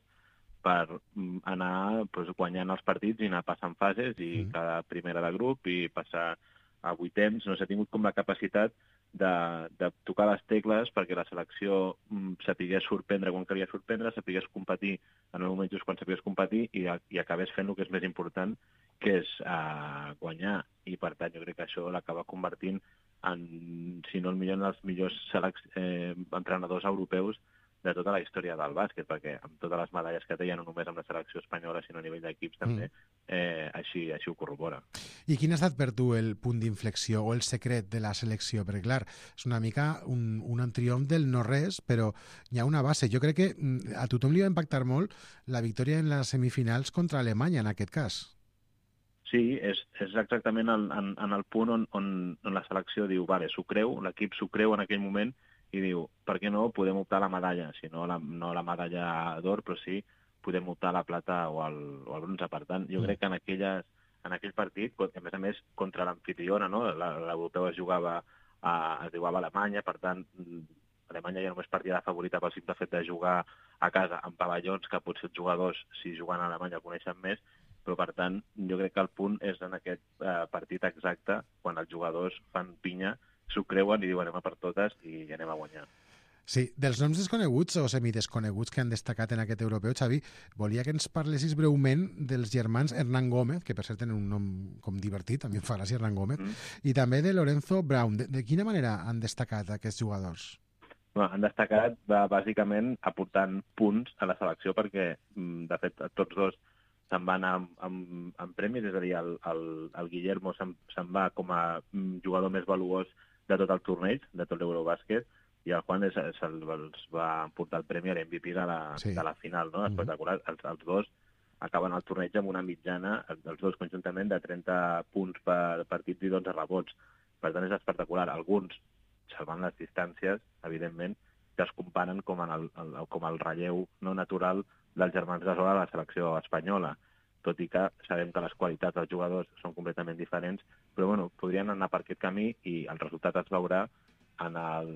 per mm, anar pues, guanyant els partits i anar passant fases i Mm. cada primera de grup i passar a vuitens. No s'ha tingut com la capacitat de, de tocar les tecles perquè la selecció mm, sapigués sorprendre quan calia sorprendre, sapigués competir en el moment just quan sapigués competir i, i acabés fent el que és més important, que és uh, guanyar. I, per tant, jo crec que això l'acaba convertint en, si no el millor, en els millors selec eh, entrenadors europeus de tota la història del bàsquet, perquè amb totes les medalles que té, ja no només amb la selecció espanyola, sinó a nivell d'equips també, eh, així, així ho corrobora. I quin ha estat per tu el punt d'inflexió o el secret de la selecció? Perquè, clar, és una mica un, un triomf del no-res, però hi ha una base. Jo crec que mm, a tothom li va impactar molt la victòria en les semifinals contra Alemanya, en aquest cas. Sí, és, és exactament en, en, en el punt on, on, on la selecció diu, vale, s'ho creu, l'equip s'ho creu en aquell moment, i diu, per què no podem optar a la medalla? Si no la, no la medalla d'or, però sí podem optar a la plata o al, o al bronze. Per tant, jo crec que en, aquelles, en aquell partit, a més a més, contra l'amfitriona, no? L'europeu es jugava a, es jugava a Alemanya, per tant, Alemanya ja només partia de favorita pel simple fet de jugar a casa en pavellons que potser els jugadors, si juguen a Alemanya, coneixen més, però per tant, jo crec que el punt és en aquest eh, partit exacte, quan els jugadors fan pinya, s'ho creuen i diuen anem a per totes i anem a guanyar. Sí, dels noms desconeguts o semidesconeguts que han destacat en aquest europeu, Xavi, volia que ens parlessis breument dels germans Hernán Gómez, que per cert tenen un nom com divertit, a mi em fa gràcia Hernán Gómez, mm. i també de Lorenzo Brown. De, de quina manera han destacat aquests jugadors? Bueno, han destacat bàsicament aportant punts a la selecció perquè, de fet, tots dos se'n van amb, amb, amb premis, és a dir, el, el, el Guillermo se'n se va com a jugador més valuós de tot el torneig, de tot l'Eurobàsquet, i el Juan es, es, els va portar el premi a l'M V P de la, sí. de la final, no? Espectacular. Mm-hmm. els, els dos acaben el torneig amb una mitjana, els dos conjuntament, de trenta punts per partit i dotze rebots. Per tant, és espectacular. Alguns, salvant les distàncies, evidentment, que es comparen com, en el, el, com el relleu no natural dels germans Gasol a la selecció espanyola, tot i que sabem que les qualitats dels jugadors són completament diferents, però bueno, podrien anar per aquest camí i el resultat es veurà en el,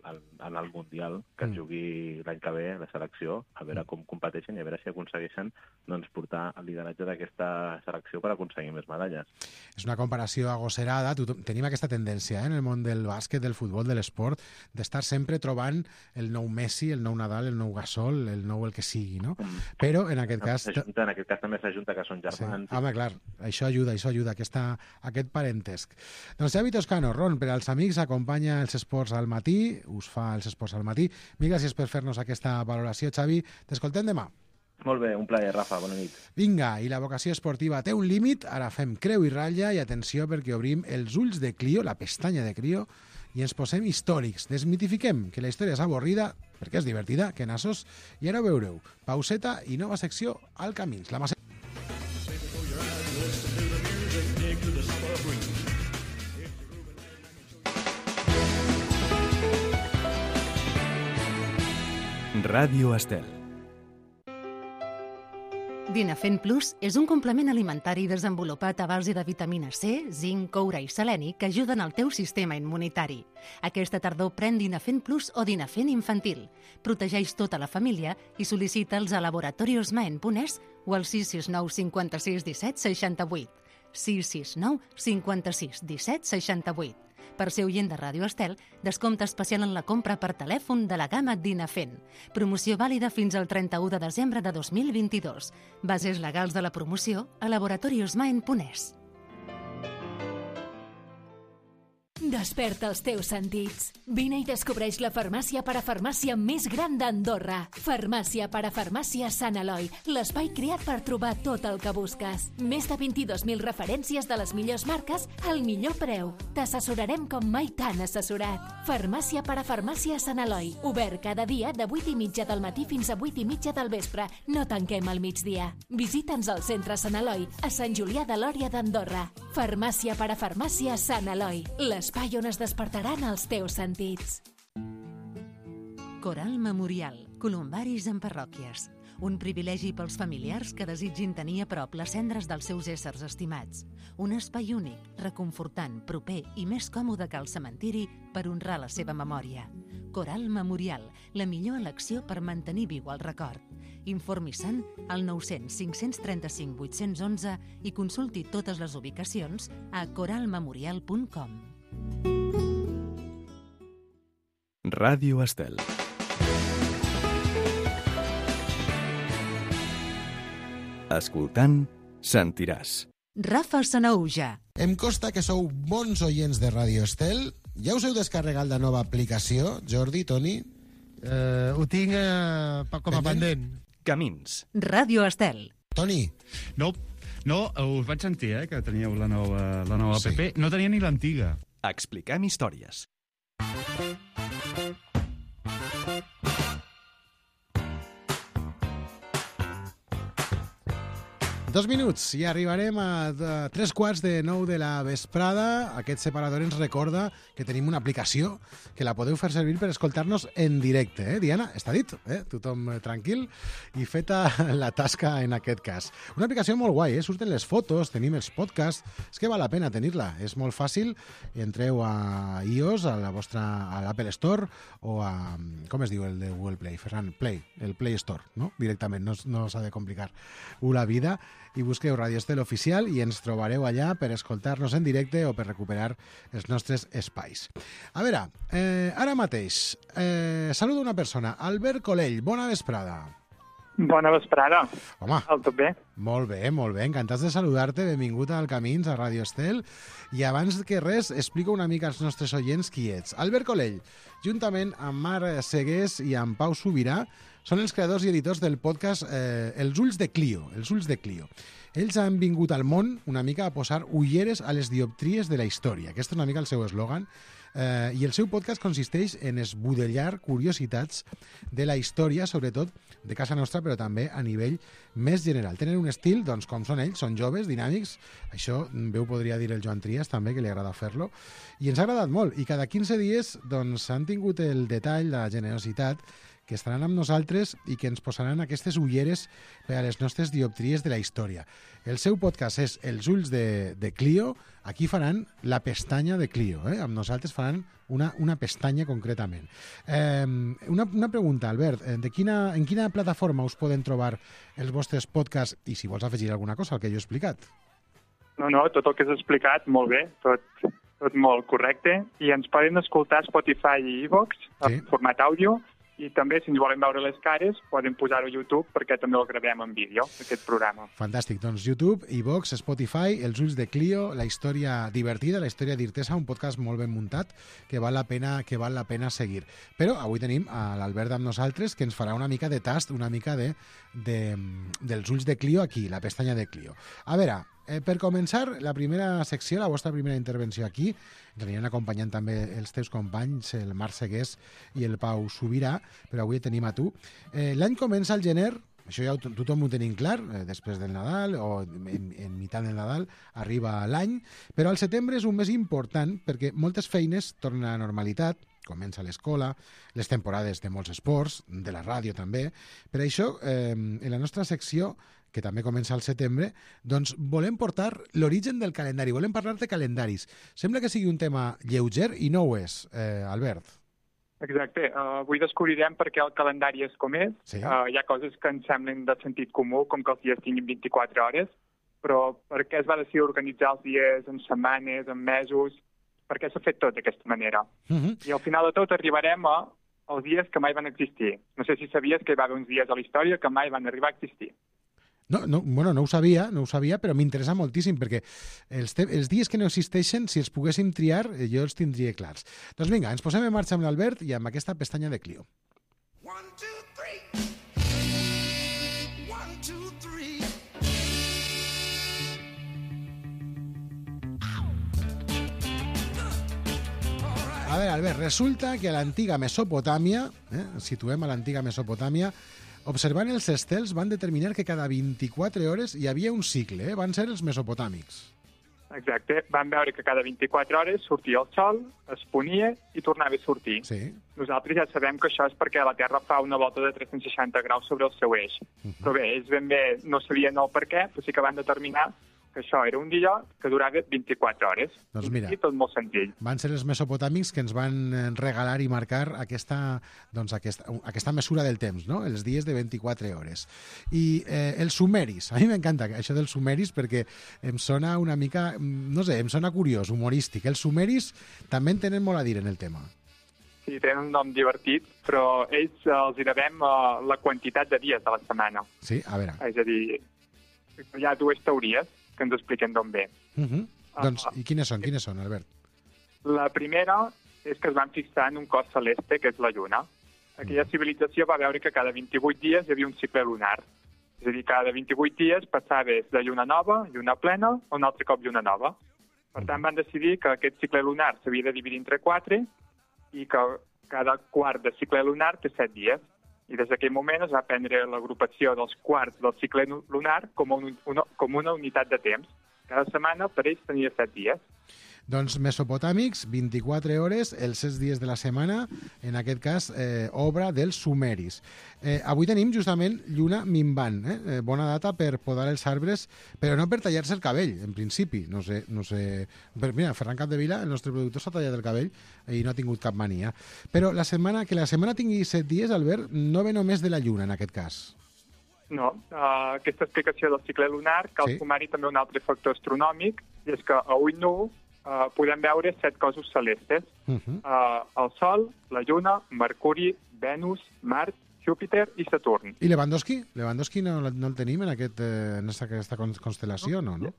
en, en el Mundial que es jugui l'any que ve la selecció, a veure com competeixen i a veure si aconsegueixen doncs, portar el lideratge d'aquesta selecció per aconseguir més medalles. És una comparació agosserada. Tenim aquesta tendència eh, en el món del bàsquet, del futbol, de l'esport, d'estar sempre trobant el nou Messi, el nou Nadal, el nou Gasol, el nou el que sigui, no? Però en aquest cas... En aquest cas també s'ajunta que són germans. Sí. Home, clar, això ajuda, això ajuda, aquesta, aquest parentesc. Doncs Xavi Toscano, Ron, per als amics, acompanya els esports al matí, us fa els esports al matí. Mil gràcies per fer-nos aquesta valoració, Xavi. T'escoltem demà. Molt bé, un plaer, Rafa, bona nit. Vinga, i la vocació esportiva té un límit, ara fem creu i ratlla i atenció perquè obrim els ulls de Clio, la pestanya de Clio, i ens posem històrics. Desmitifiquem que la història és avorrida, perquè és divertida, que nassos, i ara ho veureu. Pauseta i nova secció al Camins. La massa... Ràdio Estel. Dinafen Plus és un complement alimentari desenvolupat a base de vitamina C, zinc, coure i seleni que ajuden al teu sistema immunitari. Aquesta tardor pren Dinafen Plus o Dinafen infantil. Protegeix tota la família i sol·licita'ls a laboratorios maen punt es o al sis sis nou cinquanta-sis disset seixanta-vuit. sis sis nou cinquanta-sis disset seixanta-vuit. Per ser oient de Ràdio Estel, descompte especial en la compra per telèfon de la gamma Dinafen. Promoció vàlida fins al trenta-u de desembre de dos mil vint-i-dos. Bases legals de la promoció a laboratorios maen punt es. Desperta els teus sentits. Vine i descobreix la farmàcia parafarmàcia més gran d'Andorra. Farmàcia parafarmàcia Sant Eloi, l'espai creat per trobar tot el que busques. Més de vint-i-dos mil referències de les millors marques al millor preu. T'assessorarem com mai t'han assessorat. Farmàcia parafarmàcia Sant Eloi. Obert cada dia de vuit i mitja del matí fins a vuit i mitja del vespre. No tanquem al migdia. Visita'ns al centre Sant Eloi, a Sant Julià de Lòria d'Andorra. Farmàcia parafarmàcia Sant Eloi. L'espai on es despertaran els teus sentits. Coral Memorial, columbaris en parròquies. Un privilegi pels familiars que desitgin tenir a prop les cendres dels seus éssers estimats. Un espai únic, reconfortant, proper i més còmode que el cementiri per honrar la seva memòria. Coral Memorial, la millor elecció per mantenir viu el record. Informi se'n al nou zero zero cinc tres cinc vuit un u i consulti totes les ubicacions a coralmemorial punt com. Ràdio Estel. Escoltant, sentiràs. Rafa Sanaúja. Em consta que sou bons oients de Ràdio Estel. Ja us heu descarregat la nova aplicació, Jordi, Toni? Uh, ho tinc uh, com a pendent. Camins. Ràdio Estel. Toni? No, no, us vaig sentir, eh, que teníeu la nova, la nova Sí. app. No tenia ni l'antiga. Expliquem històries. Dos minuts i arribarem a, a tres quarts de nou de la vesprada. Aquest separador ens recorda que tenim una aplicació que la podeu fer servir per escoltar-nos en directe. Eh? Diana, està dit, eh? Tothom tranquil i feta la tasca en aquest cas. Una aplicació molt guai, eh? Surten les fotos, tenim els podcasts, és que val la pena tenir-la. És molt fàcil, entreu a iOS, a la vostra, a l'Apple Store o a, com es diu el de Google Play? Ferran, Play, el Play Store, no? Directament, no, no s'ha de complicar la vida. I busqueu Ràdio Estel Oficial i ens trobareu allà per escoltar-nos en directe o per recuperar els nostres espais. A veure, eh, ara mateix, eh, saludo una persona. Albert Colell, bona vesprada. Bona vesprada. Home. Tot bé? Molt bé, molt bé. Encantats de saludar-te. Benvingut al Camins, a Ràdio Estel. I abans que res, explico una mica als nostres oients qui ets. Albert Colell, juntament amb Mar Segués i amb Pau Subirà, són els creadors i editors del podcast eh, Els ulls de Clio. Els ulls de Clio. Ells han vingut al món una mica a posar ulleres a les dioptries de la història. Aquest és una mica el seu eslògan. Eh, I el seu podcast consisteix en esbudellar curiositats de la història, sobretot de casa nostra, però també a nivell més general. Tenen un estil, doncs, com són ells, són joves, dinàmics. Això bé ho podria dir el Joan Trias, també, que li agrada fer-lo. I ens ha agradat molt. I cada quinze dies doncs, han tingut el detall, la generositat, que estaran amb nosaltres i que ens posaran aquestes ulleres per a les nostres dioptries de la història. El seu podcast és Els ulls de, de Clio. Aquí faran la pestanya de Clio. Eh? Amb nosaltres faran una, una pestanya concretament. Eh, una, una pregunta, Albert. De quina, en quina plataforma us poden trobar els vostres podcasts? I si vols afegir alguna cosa al que jo he explicat. No, no, tot el que has explicat, molt bé. Tot, tot molt correcte. I ens poden escoltar a Spotify i iVoox, sí, en format àudio. I també, si ens volen veure les cares, poden posar-ho a YouTube perquè també el gravem en vídeo, aquest programa. Fantàstic. Doncs YouTube, iVoox, Spotify, Els ulls de Clio, la història divertida, la història d'Irtesa, un podcast molt ben muntat que val la pena, que val la pena seguir. Però avui tenim a l'Albert amb nosaltres que ens farà una mica de tast, una mica de, de, dels ulls de Clio aquí, la pestanya de Clio. A veure, Eh, per començar, la primera secció, la vostra primera intervenció aquí, ens aniran acompanyant també els teus companys, el Marc Segués i el Pau Subirà, però avui tenim a tu. Eh, L'any comença al gener, això ja to tothom ho tenim clar, eh, després del Nadal o en, en meitat del Nadal arriba l'any, però al setembre és un mes important perquè moltes feines tornen a la normalitat, comença l'escola, les temporades de molts esports, de la ràdio també. Per això, eh, en la nostra secció, que també comença al setembre, doncs volem portar l'origen del calendari, volem parlar de calendaris. Sembla que sigui un tema lleuger i no ho és, eh, Albert. Exacte. Uh, avui descobrirem per què el calendari és com és. Sí. Uh, hi ha coses que ens semblen de sentit comú, com que els dies tinguin vint-i-quatre hores, però per què es va decidir organitzar els dies en setmanes, en mesos, per què s'ha fet tot d'aquesta manera? Uh -huh. I al final de tot arribarem a els dies que mai van existir. No sé si sabies que hi va haver uns dies a la història que mai van arribar a existir. No, no, bueno, no ho sabia, no ho sabia, però m'interessa moltíssim, perquè els, els dies que no existeixen, si els poguéssim triar, jo els tindria clars. Doncs vinga, ens posem en marxa amb l'Albert i amb aquesta pestanya de Clio. One, two, three. One, two, three. A veure, Albert, resulta que a l'antiga Mesopotàmia, eh, situem a l'antiga Mesopotàmia, observant els estels van determinar que cada vint-i-quatre hores hi havia un cicle, eh? Van ser els mesopotàmics. Exacte. Van veure que cada vint-i-quatre hores sortia el sol, es ponia i tornava a sortir. Sí. Nosaltres ja sabem que això és perquè la Terra fa una volta de tres-cents seixanta graus sobre el seu eix. Uh -huh. Però bé, ells ben bé no sabien el per què, però sí que van determinar que això era un dia que durava vint-i-quatre hores. Doncs mira, I tot molt senzill. Van ser els mesopotàmics que ens van eh, regalar i marcar aquesta, doncs, aquesta, aquesta mesura del temps, no? Els dies de vint-i-quatre hores. I eh, els sumeris, a mi m'encanta això dels sumeris perquè em sona una mica, no sé, em sona curiós, humorístic. Els sumeris també en tenen molt a dir en el tema. Sí, tenen un nom divertit, però ells eh, els hi devem uh, la quantitat de dies de la setmana. Sí, a veure. És a dir, hi ha dues teories que ens expliquen d'on ve. Uh -huh. uh, doncs, i quines són, quines són, Albert? La primera és que es van fixar en un cos celeste, que és la Lluna. Aquella civilització va veure que cada vint-i-vuit dies hi havia un cicle lunar. És a dir, cada vint-i-vuit dies passaves de lluna nova, lluna plena, o un altre cop lluna nova. Per tant, van decidir que aquest cicle lunar s'havia de dividir entre quatre i que cada quart de cicle lunar té set dies. I des d'aquell moment es va prendre l'agrupació dels quarts del cicle lunar com, un, una, com una unitat de temps. Cada setmana per ells tenia set dies. Doncs mesopotàmics, vint-i-quatre hores, els set dies de la setmana, en aquest cas, eh, obra dels sumeris. Eh, avui tenim justament lluna minvant, eh? Eh, bona data per podar els arbres, però no per tallar-se el cabell, en principi. No sé, no sé... Però mira, Ferran Capdevila, el nostre productor, s'ha tallat el cabell i no ha tingut cap mania. Però la setmana, que la setmana tingui set dies, Albert, no ve només de la lluna, en aquest cas. No, uh, aquesta explicació del cicle lunar cal Sí. sumar-hi també un altre factor astronòmic, i és que a ull nu uh, podem veure set cossos celestes. Uh -huh. uh, el Sol, la Lluna, Mercuri, Venus, Mart, Júpiter i Saturn. I Lewandowski? Lewandowski no, no el tenim en, aquest, eh, en aquesta constel·lació, no? no?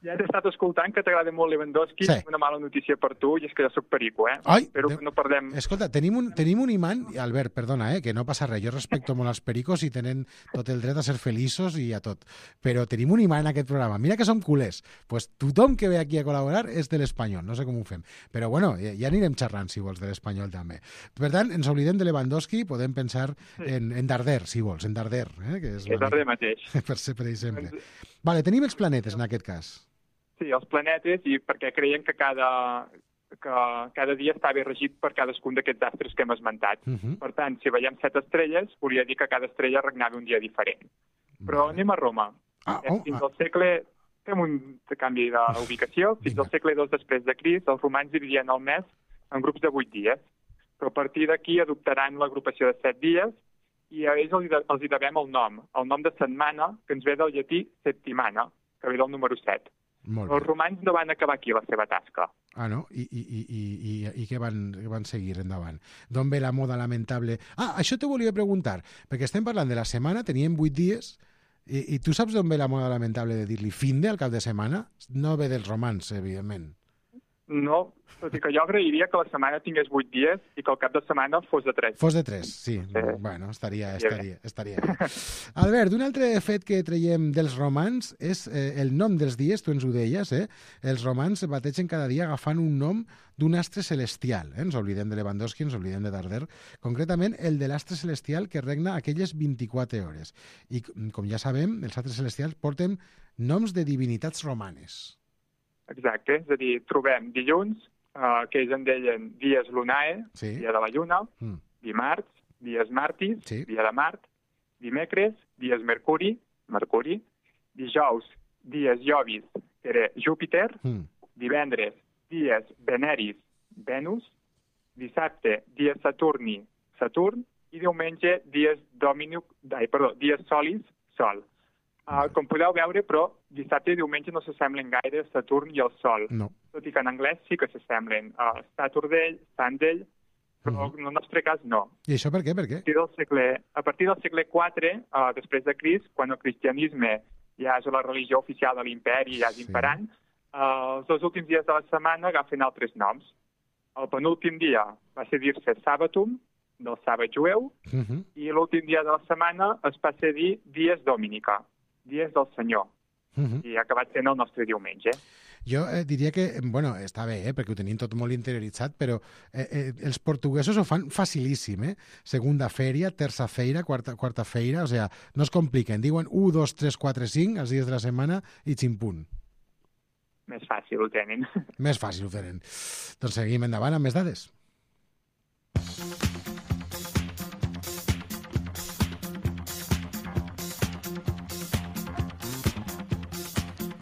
Ja t'he estat escoltant que t'agrada molt Lewandowski. Sí. Una mala notícia per tu, i és que jo soc perico, eh? Ai, Espero de- que no perdem... Escolta, tenim un, tenim un imant, Albert, perdona, eh, que no passa res, jo respecto molt els pericos i tenen tot el dret a ser feliços i a tot, però tenim un imant en aquest programa, mira que som culers, pues tothom que ve aquí a col·laborar és de l'Espanyol, no sé com ho fem, però bueno, ja, ja anirem xerrant, si vols, de l'Espanyol també. Per tant, ens oblidem de Lewandowski, podem pensar en, en Darder, si vols, en Darder, eh, que és, És Darder mateix. per ser, per exemple. Vale, tenim els planetes en aquest cas. Sí, els planetes, i perquè creien que cada, que cada dia estava regit per cadascun d'aquests astres que hem esmentat. Uh -huh. Per tant, si veiem set estrelles, volia dir que cada estrella regnava un dia diferent. Però Vale. anem a Roma. Ah, Eh, oh, fins ah. al segle... Fem un canvi d'ubicació. Fins Vinga. al segle dos després de Crist, els romans dividien el mes en grups de vuit dies. Però a partir d'aquí adoptaran l'agrupació de set dies, i a ells els hi de- els hi devem el nom. El nom de setmana, que ens ve del llatí septimana, que ve del número set. Molt Els bé. romans no van acabar aquí la seva tasca. Ah, no? I, i, i, i, i, i què van, què van seguir endavant? D'on ve la moda lamentable? Ah, això te volia preguntar, perquè estem parlant de la setmana, teníem vuit dies, i, i tu saps d'on ve la moda lamentable de dir-li fin de al cap de setmana? No ve dels romans, evidentment. No, tot i que jo agrairia que la setmana tingués vuit dies i que el cap de setmana fos de tres. Fos de tres, sí. Sí. Bueno, estaria, Sí, estaria, estaria bé. Albert, un altre fet que traiem dels romans és eh, el nom dels dies, tu ens ho deies, eh? Els romans bategen cada dia agafant un nom d'un astre celestial. Eh? Ens oblidem de Lewandowski, ens oblidem de Darder. Concretament, el de l'astre celestial que regna aquelles vint-i-quatre hores. I, com ja sabem, els astres celestials porten noms de divinitats romanes. Exacte, és a dir, trobem dilluns, eh, que ells en deien dies lunae, Sí. dia de la lluna, Mm. dimarts, dies martis, Sí. dia de Mart, dimecres, dies mercuri, mercuri, dijous, dies jovis, que era Júpiter, Mm. divendres, dies veneris, Venus, dissabte, dies saturni, Saturn, i diumenge, dies dominic, ai, perdó, dies solis, Sol. Uh, com podeu veure, però dissabte i diumenge no s'assemblen gaire Saturn i el Sol. No. Tot i que en anglès sí que s'assemblen. Uh, Saturday, Sunday, però Mhm. en el nostre cas no. I això per què? Per què? A partir del segle, a partir del segle quatre, uh, després de Crist, quan el cristianisme ja és la religió oficial de l'imperi, ja és Sí. imperant, uh, els dos últims dies de la setmana agafen altres noms. El penúltim dia va ser dir-se Sabatum, del sàbat jueu, Uh -huh. i l'últim dia de la setmana es passa a dir Dies Dominica, dies del Senyor, Uh -huh. i ha acabat sent el nostre diumenge. Jo eh, diria que, bueno, està bé, eh, perquè ho tenim tot molt interioritzat, però eh, eh, els portuguesos ho fan facilíssim, eh? Segunda feria, terça feira, quarta, quarta feira, o sigui, no es compliquen. Diuen un, dos, tres, quatre, cinc, els dies de la setmana, i ximpunt. Més fàcil ho tenen. Més fàcil ho tenen. Doncs seguim endavant amb més dades.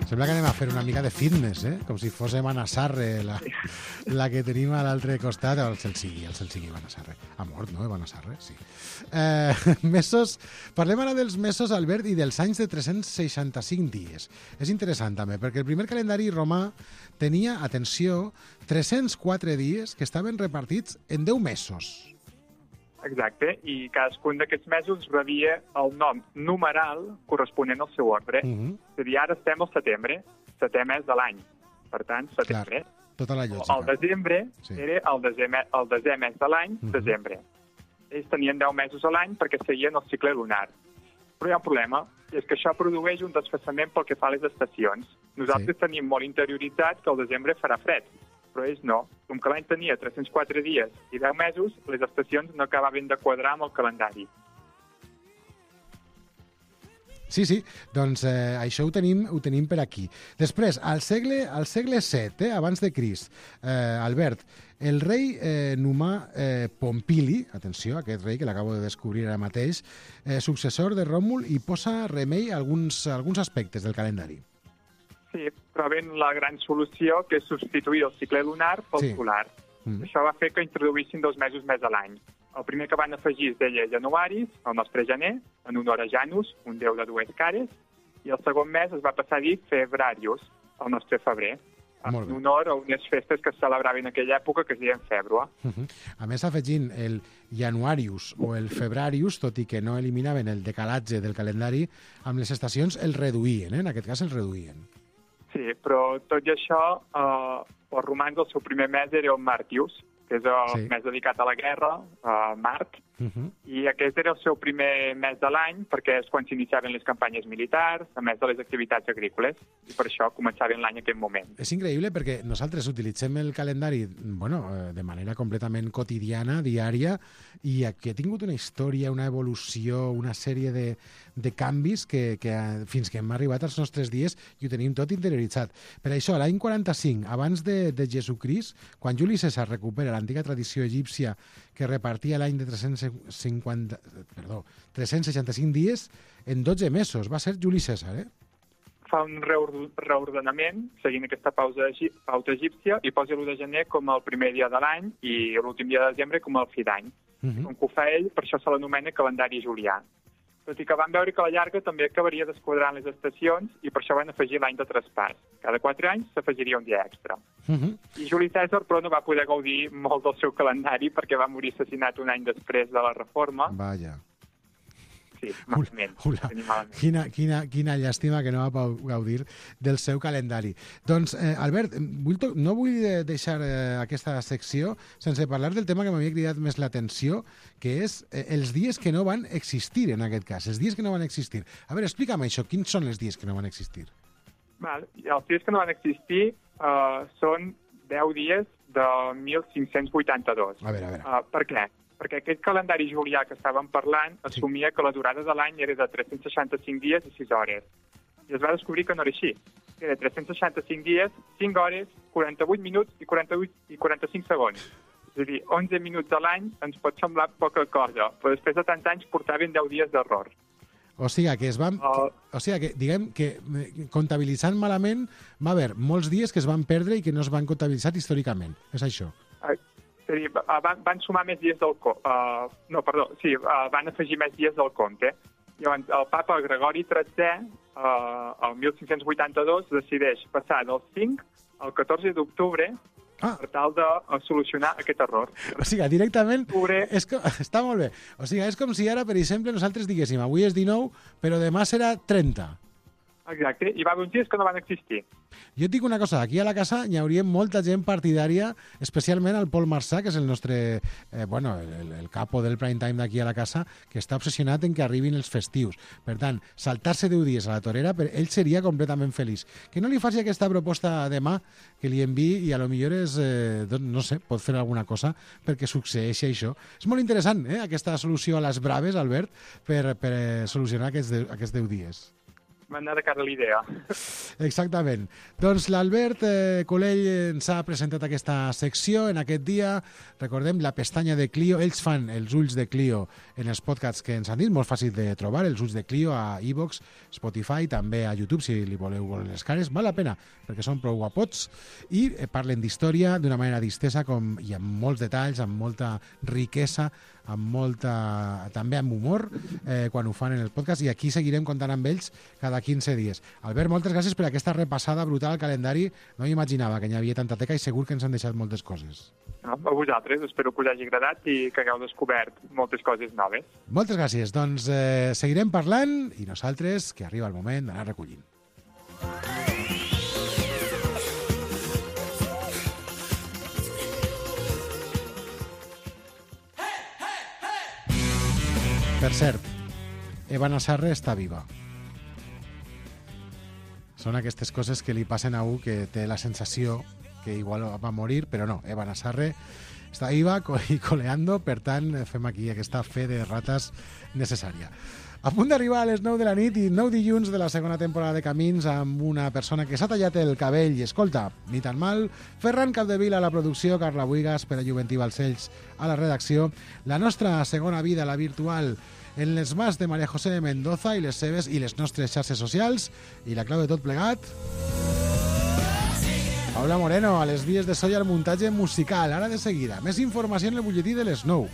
Sembla que anem a fer una mica de fitness, eh? Com si fóssim Anna Sarre, la, la que tenim a l'altre costat. El Celsigui, el Celsigui, Anna Sarre. Ha mort, no, Anna Sarre? Sí. Eh, mesos... Parlem ara dels mesos, Albert, i dels anys de tres-cents seixanta-cinc dies. És interessant, també, perquè el primer calendari romà tenia, atenció, tres-cents quatre dies que estaven repartits en deu mesos. Exacte, i cadascun d'aquests mesos rebia el nom numeral corresponent al seu ordre. Uh-huh. És a dir, ara estem al setembre, setè mes de l'any. Per tant, setembre. Clar, tota la lògica. El desembre sí. era el desè, el desè mes de l'any, uh-huh. desembre. Ells tenien deu mesos a l'any perquè seguien el cicle lunar. Però hi ha un problema, i és que això produeix un desfassament pel que fa a les estacions. Nosaltres sí. tenim molt interioritzat que el desembre farà fred, però ells no. Com que l'any tenia tres-cents quatre dies i deu mesos, les estacions no acabaven de quadrar amb el calendari. Sí, sí, doncs eh, això ho tenim, ho tenim per aquí. Després, al segle, al segle set, eh, abans de Crist, eh, Albert, el rei eh, Numà eh, Pompili, atenció, aquest rei que l'acabo de descobrir ara mateix, eh, successor de Ròmul, i posa remei a alguns, a alguns aspectes del calendari. Sí, troben la gran solució, que és substituir el cicle lunar pel sí. solar. Mm. Això va fer que introduïssin dos mesos més a l'any. El primer que van afegir es deia Januaris, el nostre gener, en honor a Janus, un déu de dues cares, i el segon mes es va passar a dir Febrarius, el nostre febrer, en honor a unes festes que es celebraven en aquella època que es deien Fèbrua. Uh -huh. A més, afegint el Januarius o el Febrarius, tot i que no eliminaven el decalatge del calendari, amb les estacions el reduïen, eh? En aquest cas el reduïen. Sí, però tot i això, eh, els romans el seu primer mes era el Martius, que és el sí. mes dedicat a la guerra, a Mart, uh-huh. i aquest era el seu primer mes de l'any perquè és quan s'iniciaven les campanyes militars, a més de les activitats agrícoles, i per això començaven l'any en aquest moment. És increïble perquè nosaltres utilitzem el calendari bueno, de manera completament quotidiana, diària, i aquí ha tingut una història, una evolució, una sèrie de, de canvis que, que fins que hem arribat als nostres dies i ho tenim tot interioritzat. Per això, l'any quaranta-cinc, abans de, de Jesucrist, quan Juli Cèsar recupera l'antiga tradició egípcia que repartia l'any de tres-cents cinquanta, perdó, tres-cents seixanta-cinc dies en dotze mesos. Va ser Juli Cèsar, eh? Fa un reordenament, seguint aquesta pausa, pauta egípcia, i posa l'u de gener com el primer dia de l'any i l'últim dia de desembre com el fi d'any. Uh-huh. Com que ho fa ell, per això se l'anomena calendari julià. Tot i que van veure que a la llarga també acabaria desquadrant les estacions i per això van afegir l'any de traspàs. Cada quatre anys s'afegiria un dia extra. Uh-huh. I Juli Cèsar, però, no va poder gaudir molt del seu calendari perquè va morir assassinat un any després de la reforma. Vaja. Sí, malament. Ula, ula. Quina, quina, quina llàstima que no va gaudir del seu calendari. Doncs, eh, Albert, vull to- no vull deixar eh, aquesta secció sense parlar del tema que m'havia cridat més l'atenció, que és eh, els dies que no van existir, en aquest cas. Els dies que no van existir. A veure, explica'm això. Quins són els dies que no van existir? Val. Els dies que no van existir uh, són deu dies de mil cinc-cents vuitanta-dos. A veure, a veure. Uh, per què? Perquè aquest calendari julià que estàvem parlant assumia que la durada de l'any era de tres-cents seixanta-cinc dies i sis hores. I es va descobrir que no era així. Era tres-cents seixanta-cinc dies, cinc hores, quaranta-vuit minuts i quaranta-vuit i quaranta-cinc segons. És a dir, onze minuts a l'any ens pot semblar poca cosa, però després de tants anys portaven deu dies d'error. O sigui que es van... Uh, o sigui que, diguem, que comptabilitzant malament va haver molts dies que es van perdre i que no es van comptabilitzar històricament. És això? Uh, És a dir, van, van sumar més dies del compte. Uh, no, perdó, sí, uh, van afegir més dies del compte. Llavors, el papa Gregori tretzè, uh, el mil cinc-cents vuitanta-dos, decideix passar del cinc al catorze d'octubre ah. per tal de uh, solucionar aquest error. O sigui, directament... És que, està molt bé. O sigui, és com si ara, per exemple, nosaltres diguéssim avui és dinou, però demà serà trenta. Exacte, i va haver uns dies que no van existir. Jo et dic una cosa, aquí a la casa hi hauria molta gent partidària, especialment el Pol Marsà, que és el nostre, eh, bueno, el, el capo del prime time d'aquí a la casa, que està obsessionat en que arribin els festius. Per tant, saltar-se deu dies a la torera, per ell seria completament feliç. Que no li faci aquesta proposta demà, que li enviï i a lo millor és, eh, no sé, pot fer alguna cosa perquè succeeixi això. És molt interessant, eh, aquesta solució a les braves, Albert, per, per solucionar aquests, de, aquests deu dies. m'ha anat de cara a l'idea. Exactament. Doncs l'Albert eh, Colell ens ha presentat aquesta secció en aquest dia. Recordem la pestanya de Clio. Ells fan els ulls de Clio en els podcasts que ens han dit, molt fàcil de trobar, els ulls de Clio a iVoox, Spotify, també a YouTube, si li voleu veure les cares. Val la pena, perquè són prou guapots i eh, parlen d'història d'una manera distesa com, i amb molts detalls, amb molta riquesa, amb molta, també amb humor, eh, quan ho fan en el podcast, i aquí seguirem comptant amb ells cada quinze dies. Albert, moltes gràcies per aquesta repassada brutal al calendari. No m'imaginava que n'hi havia tanta teca i segur que ens han deixat moltes coses. A vosaltres, espero que us hagi agradat i que hagueu descobert moltes coses noves. Moltes gràcies. Doncs eh, seguirem parlant i nosaltres, que arriba el moment d'anar recollint. Per cert, Eva Nassarre està viva. Són aquestes coses que li passen a un que té la sensació que igual va morir, però no, Eva Nassarre està viva i coleando, per tant, fem aquí aquesta fe de rates necessària. A punt d'arribar a les nou de la nit i nou dilluns de la segona temporada de Camins amb una persona que s'ha tallat el cabell i escolta, ni tan mal, Ferran Capdevila a la producció, Carla Buigas, Pere Juventí Balcells a la redacció, la nostra segona vida, la virtual, en les mans de María José de Mendoza i les seves i les nostres xarxes socials, i la clau de tot plegat, Paula Moreno, a les vies de so i al muntatge musical. Ara de seguida, més informació en el butlletí de les nou.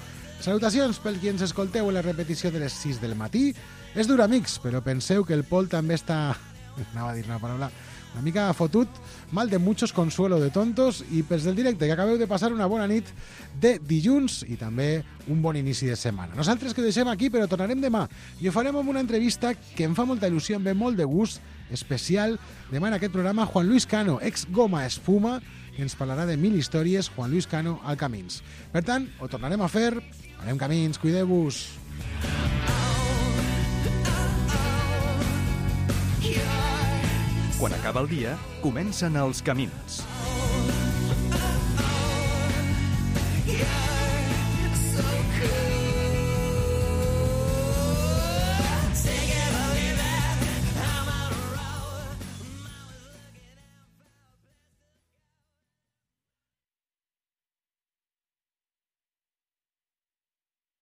Salutacions pel qui ens escolteu en la repetició de les sis del matí. És dur, amics, però penseu que el Pol també està... Anava a dir una paraula una mica fotut, mal de muchos, consuelo de tontos, i pels del directe, que acabeu de passar una bona nit de dilluns i també un bon inici de setmana. Nosaltres que ho deixem aquí, però tornarem demà i ho farem amb una entrevista que em fa molta il·lusió, em ve molt de gust, especial. Demà en aquest programa, Juan Luis Cano, ex Goma Espuma, que ens parlarà de mil històries, Juan Luis Cano al Camins. Per tant, ho tornarem a fer, anem Camins, cuideu-vos. Quan acaba el dia, comencen els camins.